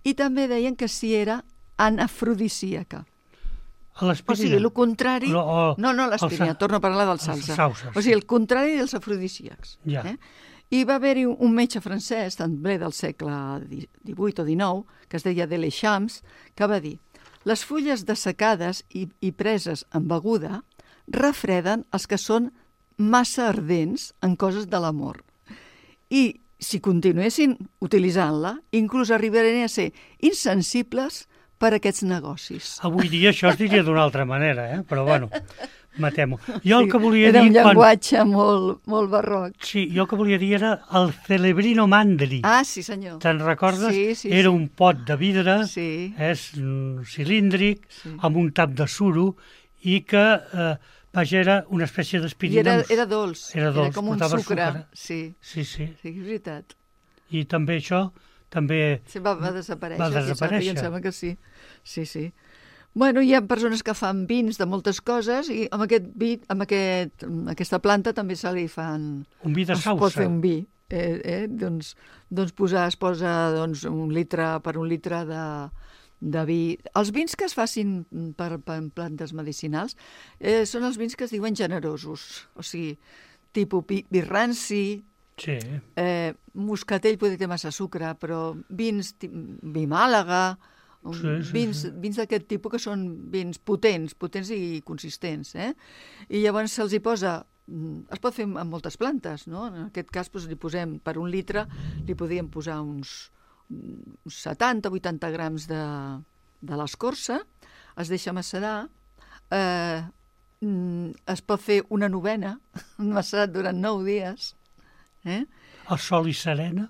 [SPEAKER 2] i també deien que si era anafrodisíaca.
[SPEAKER 1] A
[SPEAKER 2] o sigui, el contrari...
[SPEAKER 1] O, o,
[SPEAKER 2] no, no l'aspirina, sa... torno a parlar del salsa.
[SPEAKER 1] Salsa,
[SPEAKER 2] o sigui, el contrari dels afrodisíacs.
[SPEAKER 1] Ja.
[SPEAKER 2] Eh? I va haver-hi un metge francès, també del segle divuit o dinou, que es deia Delechamps, que va dir: les fulles dessecades i, i preses en beguda refreden els que són massa ardents en coses de l'amor. I si continuessin utilitzant-la, inclús arribarien a ser insensibles per a aquests negocis.
[SPEAKER 1] Avui dia això es diria d'una altra manera, eh? Però bueno, matem-ho. Jo el que volia
[SPEAKER 2] Era
[SPEAKER 1] dir...
[SPEAKER 2] un
[SPEAKER 1] quan-
[SPEAKER 2] llenguatge molt, molt barroc.
[SPEAKER 1] Sí, jo el que volia dir era el celebrino mandri.
[SPEAKER 2] Ah, sí, senyor.
[SPEAKER 1] Te'n recordes?
[SPEAKER 2] Sí, sí,
[SPEAKER 1] era
[SPEAKER 2] sí.
[SPEAKER 1] un pot de vidre,
[SPEAKER 2] Sí.
[SPEAKER 1] és mm, cilíndric,
[SPEAKER 2] Sí.
[SPEAKER 1] amb un tap de suro, i que, eh, vaja, era una espècie
[SPEAKER 2] I era,
[SPEAKER 1] d'aspirinoms.
[SPEAKER 2] era dolç.
[SPEAKER 1] Era dolç,
[SPEAKER 2] com un
[SPEAKER 1] portava
[SPEAKER 2] sucre.
[SPEAKER 1] sucre.
[SPEAKER 2] Sí,
[SPEAKER 1] Sí, sí.
[SPEAKER 2] sí, és veritat.
[SPEAKER 1] I també això, també...
[SPEAKER 2] Sí, va, va desaparèixer.
[SPEAKER 1] Va
[SPEAKER 2] sí,
[SPEAKER 1] desaparèixer.
[SPEAKER 2] em sembla que sí. Sí, sí. Bueno, hi ha persones que fan vins de moltes coses i amb, aquest vi, amb aquest, amb aquesta planta també se li fan...
[SPEAKER 1] Un vi de
[SPEAKER 2] es pot fer
[SPEAKER 1] sausa.
[SPEAKER 2] un vi. Eh, eh? Doncs, doncs posar, es posa doncs, un litre per un litre de, de vi. Els vins que es facin per, per plantes medicinals eh, són els vins que es diuen generosos. O sigui, tipus vi, vi ranci,
[SPEAKER 1] Sí.
[SPEAKER 2] eh, moscatell poder té massa sucre, però vins, ti- vi Màlaga, um,
[SPEAKER 1] Sí, sí,
[SPEAKER 2] vins,
[SPEAKER 1] sí.
[SPEAKER 2] vins d'aquest tipus que són vins potents, potents i consistents. Eh? I llavors se'ls hi posa, mm, es pot fer amb moltes plantes, no? En aquest cas doncs, li posem per un litre, li podríem posar uns, uns setanta o vuitanta grams de, de l'escorça, es deixa macerar, eh, mm, es pot fer una novena, macerat durant nou dies, eh?
[SPEAKER 1] El sol i serena.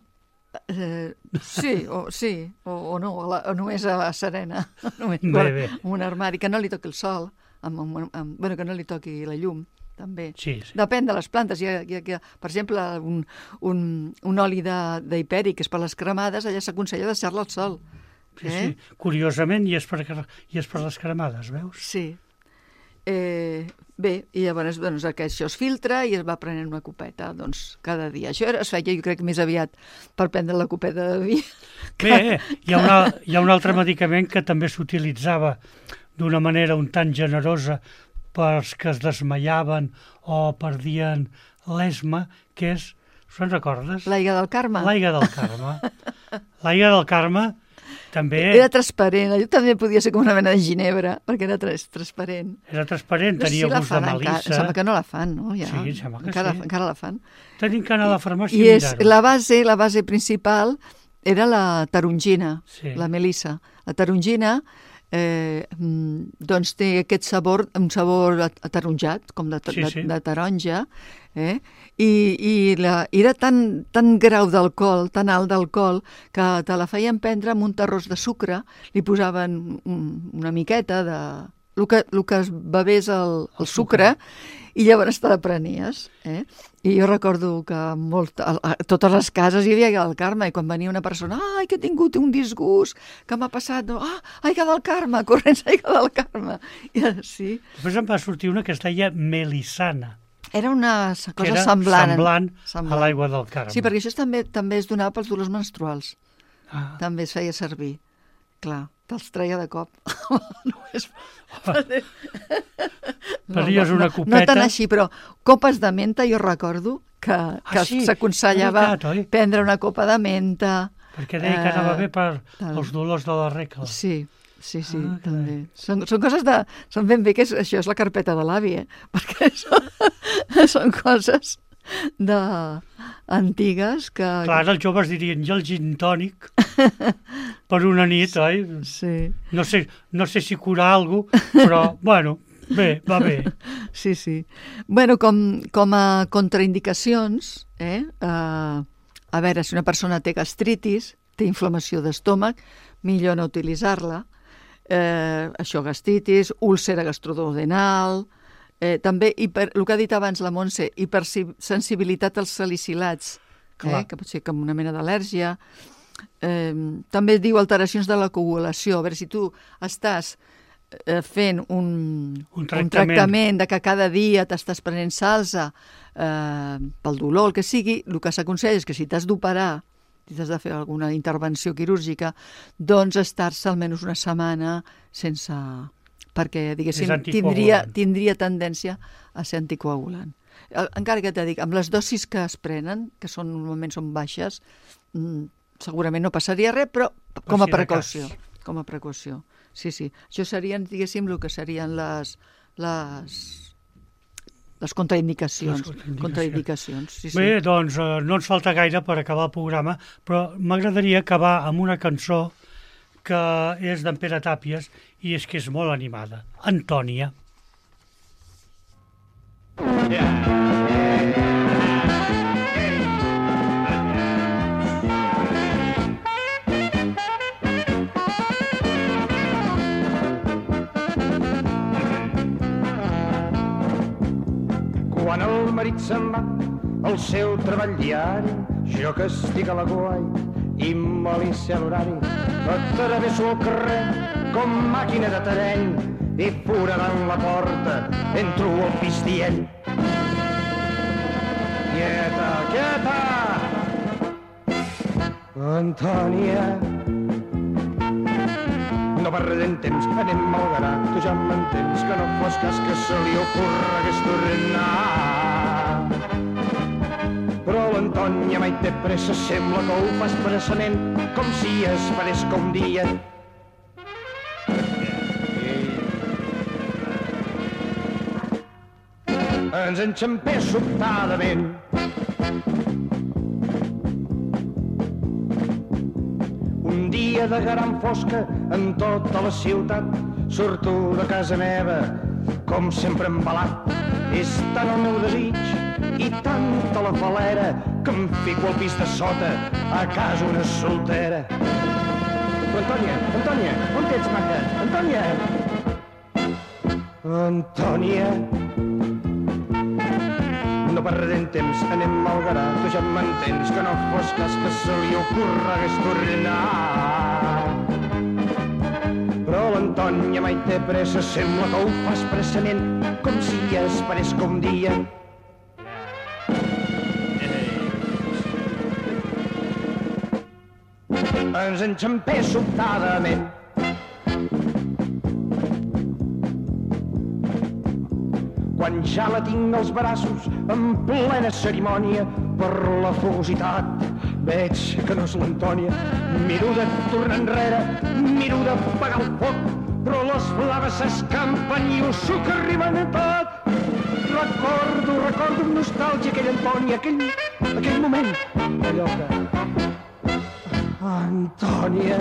[SPEAKER 2] Eh, sí, o, sí, o, o no, o, la, o només a la serena, només
[SPEAKER 1] Bé,
[SPEAKER 2] guarda-
[SPEAKER 1] bé.
[SPEAKER 2] amb un armari, que no li toqui el sol, amb, amb, amb, bueno, que no li toqui la llum, també.
[SPEAKER 1] Sí, sí.
[SPEAKER 2] Depèn de les plantes. Hi ha, hi ha, hi ha, per exemple, un, un, un oli d'hiperi, que és per les cremades, allà s'aconsella deixar-la al sol.
[SPEAKER 1] Sí, sí. Curiosament, i és, per, i és per les cremades, veus?
[SPEAKER 2] Sí. Eh, bé, i llavors doncs, aquest, això es filtra i es va prenent una copeta doncs, cada dia. Això era, es feia, jo crec, més aviat per prendre la copeta de vi.
[SPEAKER 1] Bé, hi ha, una, hi ha un altre medicament que també s'utilitzava d'una manera un tant generosa pels que es desmaiaven o perdien l'esma, que és, se'n recordes?
[SPEAKER 2] L'aigua del Carme.
[SPEAKER 1] L'aigua del Carme. L'aigua del Carme també
[SPEAKER 2] Era transparent, allò també podia ser com una mena de ginebra, perquè era tras transparent.
[SPEAKER 1] era transparent,
[SPEAKER 2] No sé
[SPEAKER 1] tenia
[SPEAKER 2] si la
[SPEAKER 1] gust de
[SPEAKER 2] fan encara, em
[SPEAKER 1] melissa.
[SPEAKER 2] sembla que no la fan, no? Ja,
[SPEAKER 1] Sí, em sembla que
[SPEAKER 2] encara,
[SPEAKER 1] sí.
[SPEAKER 2] encara la fan.
[SPEAKER 1] Tenim que anar a la farmàcia
[SPEAKER 2] I
[SPEAKER 1] i
[SPEAKER 2] és,
[SPEAKER 1] mirar-ho.
[SPEAKER 2] la base, la base principal era la tarongina,
[SPEAKER 1] Sí.
[SPEAKER 2] la melissa. La tarongina eh, mm, doncs té aquest sabor, un sabor at- ataronjat, com de,
[SPEAKER 1] Sí,
[SPEAKER 2] de,
[SPEAKER 1] sí.
[SPEAKER 2] de taronja, eh? I, i la, era tan, tan grau d'alcohol, tan alt d'alcohol, que te la feien prendre amb un terròs de sucre, li posaven un, una miqueta de... El que, el que es bevés el, el,
[SPEAKER 1] El
[SPEAKER 2] sucre,
[SPEAKER 1] sucre.
[SPEAKER 2] i llavors te la prenies. Eh? I jo recordo que molt, a, a totes les cases hi havia aigua del Carme, i quan venia una persona, ai, que he tingut un disgust, que m'ha passat, no? Ah, aigua del Carme, corrents aigua del Carme. I, sí,
[SPEAKER 1] Després em va sortir una que es deia melissana,
[SPEAKER 2] era una s-
[SPEAKER 1] que
[SPEAKER 2] cosa
[SPEAKER 1] era
[SPEAKER 2] semblant.
[SPEAKER 1] semblant,
[SPEAKER 2] semblant.
[SPEAKER 1] a l'aigua del Carme.
[SPEAKER 2] Sí, perquè això també també es donava pels dolors menstruals.
[SPEAKER 1] Ah,
[SPEAKER 2] També es feia servir. Clar, te'ls treia de cop. Només...
[SPEAKER 1] Prenien una
[SPEAKER 2] no,
[SPEAKER 1] copeta.
[SPEAKER 2] No tant així, però copes de menta jo recordo que, que
[SPEAKER 1] sí,
[SPEAKER 2] s'aconsellava
[SPEAKER 1] és veritat, oi?
[SPEAKER 2] prendre una copa de menta.
[SPEAKER 1] perquè deia que anava
[SPEAKER 2] eh,
[SPEAKER 1] bé per
[SPEAKER 2] tal.
[SPEAKER 1] els dolors de la regla.
[SPEAKER 2] Sí, sí, sí,
[SPEAKER 1] Ah, que
[SPEAKER 2] també. Són, són coses de... Són ben bé que és, això és la carpeta de l'avi, eh? Perquè són, són coses de antigues que...
[SPEAKER 1] Clar, els joves dirien, i el gin tònic per una nit, oi?
[SPEAKER 2] Sí,
[SPEAKER 1] No sé, no sé si curar alguna cosa, però, bueno, bé, va bé.
[SPEAKER 2] sí, sí. Bueno, com, com a contraindicacions, eh? Uh, a veure, si una persona té gastritis, té inflamació d'estómac, millor no utilitzar-la. Eh, això, gastritis, úlcera gastroduodenal, eh, també, hiper, el que ha dit abans la Montse, hipersensibilitat als salicilats, eh,
[SPEAKER 1] Clar.
[SPEAKER 2] que pot ser com una mena d'al·lèrgia. Eh, també diu alteracions de la coagulació. A veure, si tu estàs eh, fent un,
[SPEAKER 1] Un
[SPEAKER 2] un
[SPEAKER 1] tractament.
[SPEAKER 2] tractament de que cada dia t'estàs prenent salsa eh, pel dolor, el que sigui, el que s'aconsella és que si t'has d'operar, si t'has de fer alguna intervenció quirúrgica, doncs estar-se almenys una setmana sense... perquè, diguéssim,
[SPEAKER 1] És anticoagulant.
[SPEAKER 2] tindria, tindria tendència a ser anticoagulant. Eh, Encara que t'he dit, amb les dosis que es prenen, que són normalment són baixes, mm, segurament no passaria res, però com a
[SPEAKER 1] si de
[SPEAKER 2] precaució.
[SPEAKER 1] cas.
[SPEAKER 2] Com a precaució. Sí, sí. Això serien, diguéssim, el que serien les, les, les contraindicacions.
[SPEAKER 1] Les contraindicacions.
[SPEAKER 2] contraindicacions sí, sí.
[SPEAKER 1] Bé, doncs eh, no ens falta gaire per acabar el programa, però m'agradaria acabar amb una cançó que és d'en Pere Tàpies i és que és molt animada. Antònia.
[SPEAKER 6] Quan el marit se'n va al seu treball diari, jo que estic a la guai i m'alicia l'horari, atravesso el carrer com màquina de terreny i foradant la porta entro al pis dient: quieta, quieta! Antònia, no perdem temps, anem malgarat, tu ja m'entens que no fos cas que se li ocorregués tornar. Però l'Antònia mai té pressa, sembla que ho fa expressament, com si esperés que un dia ens enxampés sobtadament. Un dia de gran fosca en tota la ciutat surto de casa meva, com sempre embalat. És tant el meu desig i tanta la falera que em fico al pis de sota, a casa una soltera. Però Antònia, Antònia, on ets, maca? Antònia! Antònia! No perdem temps, anem malgarat, tu ja m'entens que no fos cas que se li ocorregués tornar. Però l'Antònia mai té pressa, sembla que ho fa expressament, com si esperés que un dia ens enxampés sobtadament. Quan ja la tinc als braços, en plena cerimònia, per la fogositat, veig que no és l'Antònia. Miro de tornar enrere, miro d'apagar el foc, però les blaves s'escampen i ho suc arriben a tot. Recordo, recordo amb nostàlgia aquella Antònia, aquell, aquell moment, allò que... Antònia...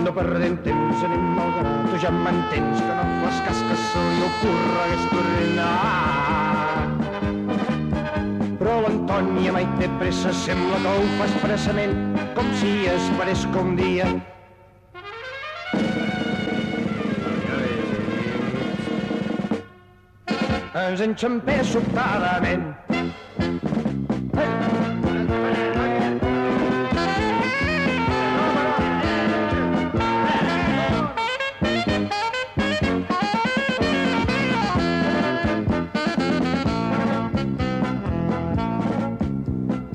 [SPEAKER 6] No perdem temps, anem malgarat, tu ja m'entens que no fas cas que se li ocorregués tornar. Però l'Antònia mai té pressa, sembla que ho fa expressament, com si esperés que un dia ens enxampés sobtadament.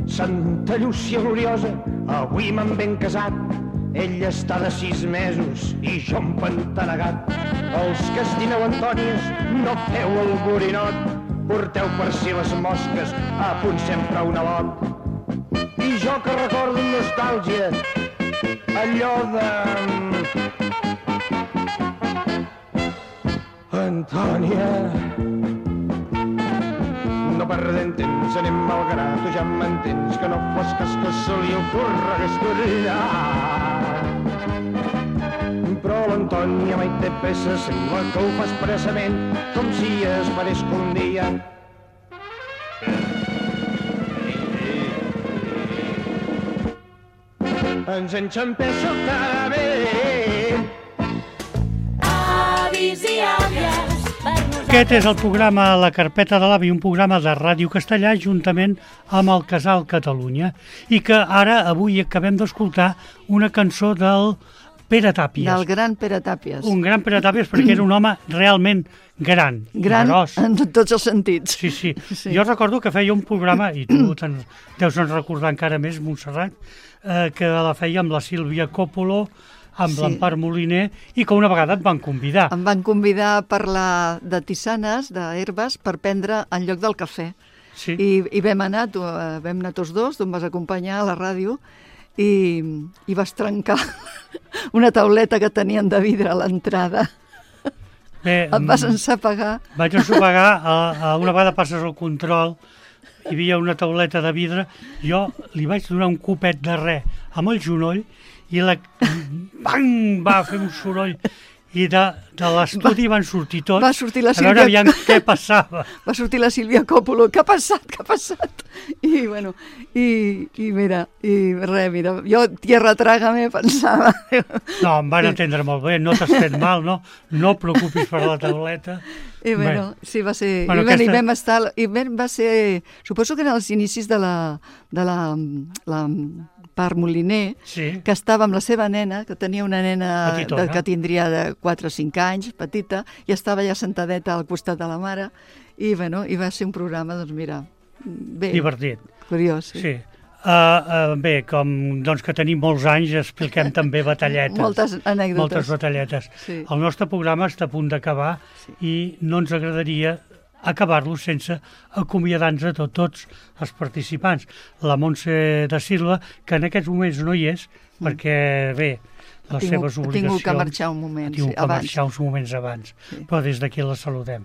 [SPEAKER 6] Santa Llúcia gloriosa, avui m'han ben casat. Ella està de sis mesos i jo empantanegat. Els que estimeu Antònies, no feu el borinot. Porteu per si les mosques, a punt sempre un alot. I jo que recordo amb nostàlgia allò de... Antònia... No perdem temps, anem malgarat, tu ja m'entens que no fos cas que se li ocorregués tornar. Però l'Antònia mai té pressa, sembla que ho fa expressament, com si esperés que un dia ens enxampés sobtadament.
[SPEAKER 3] Avis i àvies, per nosaltres...
[SPEAKER 1] Aquest és el programa La Carpeta de l'Avi, un programa de Ràdio Castellà juntament amb el Casal Catalunya, i que ara, avui, acabem d'escoltar una cançó del Pere Tàpies.
[SPEAKER 2] Del gran Pere Tàpies.
[SPEAKER 1] Un gran Pere Tàpies perquè era un home realment gran,
[SPEAKER 2] Gran
[SPEAKER 1] gros.
[SPEAKER 2] en tots els sentits.
[SPEAKER 1] Sí, sí,
[SPEAKER 2] Sí.
[SPEAKER 1] Jo recordo que feia un programa, i tu te'n deus en recordar encara més, Montserrat, eh, que la feia amb la Sílvia Coppolo, amb
[SPEAKER 2] Sí.
[SPEAKER 1] l'Empar Moliner, i que una vegada et van convidar.
[SPEAKER 2] Em van convidar a parlar de tisanes, d'herbes, per prendre en lloc del cafè.
[SPEAKER 1] Sí.
[SPEAKER 2] I, i vam anar, tu, eh, vam anar tots dos, tu em vas acompanyar a la ràdio, i, i vas trencar una tauleta que tenien de vidre a l'entrada.
[SPEAKER 1] Bé,
[SPEAKER 2] Et vas ensapegar.
[SPEAKER 1] vaig ensopegar, a, a una vegada passes el control, hi havia una tauleta de vidre, jo li vaig donar un copet de res amb el genoll i la... Bang! Va fer un soroll I de, de l'estudi van sortir tots
[SPEAKER 2] va sortir la
[SPEAKER 1] a veure
[SPEAKER 2] Sílvia-
[SPEAKER 1] aviam què passava.
[SPEAKER 2] Va sortir la Sílvia Coppola, què ha passat, què ha passat? I, bueno, i, i mira, i res, mira, jo, tierra trágame, pensava.
[SPEAKER 1] No, em van atendre molt bé, no t'has fet mal, no? No et preocupis per la tauleta.
[SPEAKER 2] I bueno, sí, va ser...
[SPEAKER 1] Bueno,
[SPEAKER 2] Bueno, I,
[SPEAKER 1] aquesta-
[SPEAKER 2] I vam estar... I vam, va ser... Suposo que eren els inicis de la, de la, la part Moliner,
[SPEAKER 1] Sí.
[SPEAKER 2] que estava amb la seva nena, que tenia una nena
[SPEAKER 1] Petitona.
[SPEAKER 2] de, que tindria de quatre o cinc anys, petita, i estava ja sentadeta al costat de la mare, i, bueno, i va ser un programa, doncs mira, bé,
[SPEAKER 1] Divertit.
[SPEAKER 2] curiós. Sí.
[SPEAKER 1] Sí. Uh, uh, bé, com doncs, que tenim molts anys, expliquem també batalletes.
[SPEAKER 2] Moltes anècdotes.
[SPEAKER 1] Moltes batalletes.
[SPEAKER 2] Sí.
[SPEAKER 1] El nostre programa està a punt d'acabar
[SPEAKER 2] Sí.
[SPEAKER 1] i no ens agradaria acabar-lo sense acomiadar-nos a tot, tots els participants. La Montse da Silva, que en aquests moments no hi és,
[SPEAKER 2] Mm.
[SPEAKER 1] perquè, bé,
[SPEAKER 2] Ha
[SPEAKER 1] les
[SPEAKER 2] tingut-
[SPEAKER 1] seves
[SPEAKER 2] ha
[SPEAKER 1] obligacions...
[SPEAKER 2] tingut que marxar un moment,
[SPEAKER 1] ha tingut
[SPEAKER 2] sí,
[SPEAKER 1] que
[SPEAKER 2] abans.
[SPEAKER 1] marxar uns moments abans,
[SPEAKER 2] Sí.
[SPEAKER 1] però des d'aquí la saludem.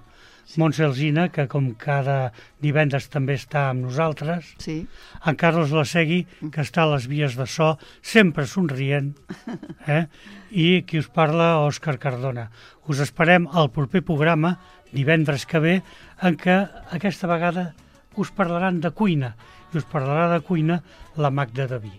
[SPEAKER 1] Montse Alsina, que com cada divendres també està amb nosaltres,
[SPEAKER 2] Sí.
[SPEAKER 1] en Carles Lasegui, que està a les vies de so, sempre somrient, eh? I qui us parla, Òscar Cardona. Us esperem al proper programa, divendres que ve, en què aquesta vegada us parlaran de cuina, i us parlarà de cuina la Magda Daví.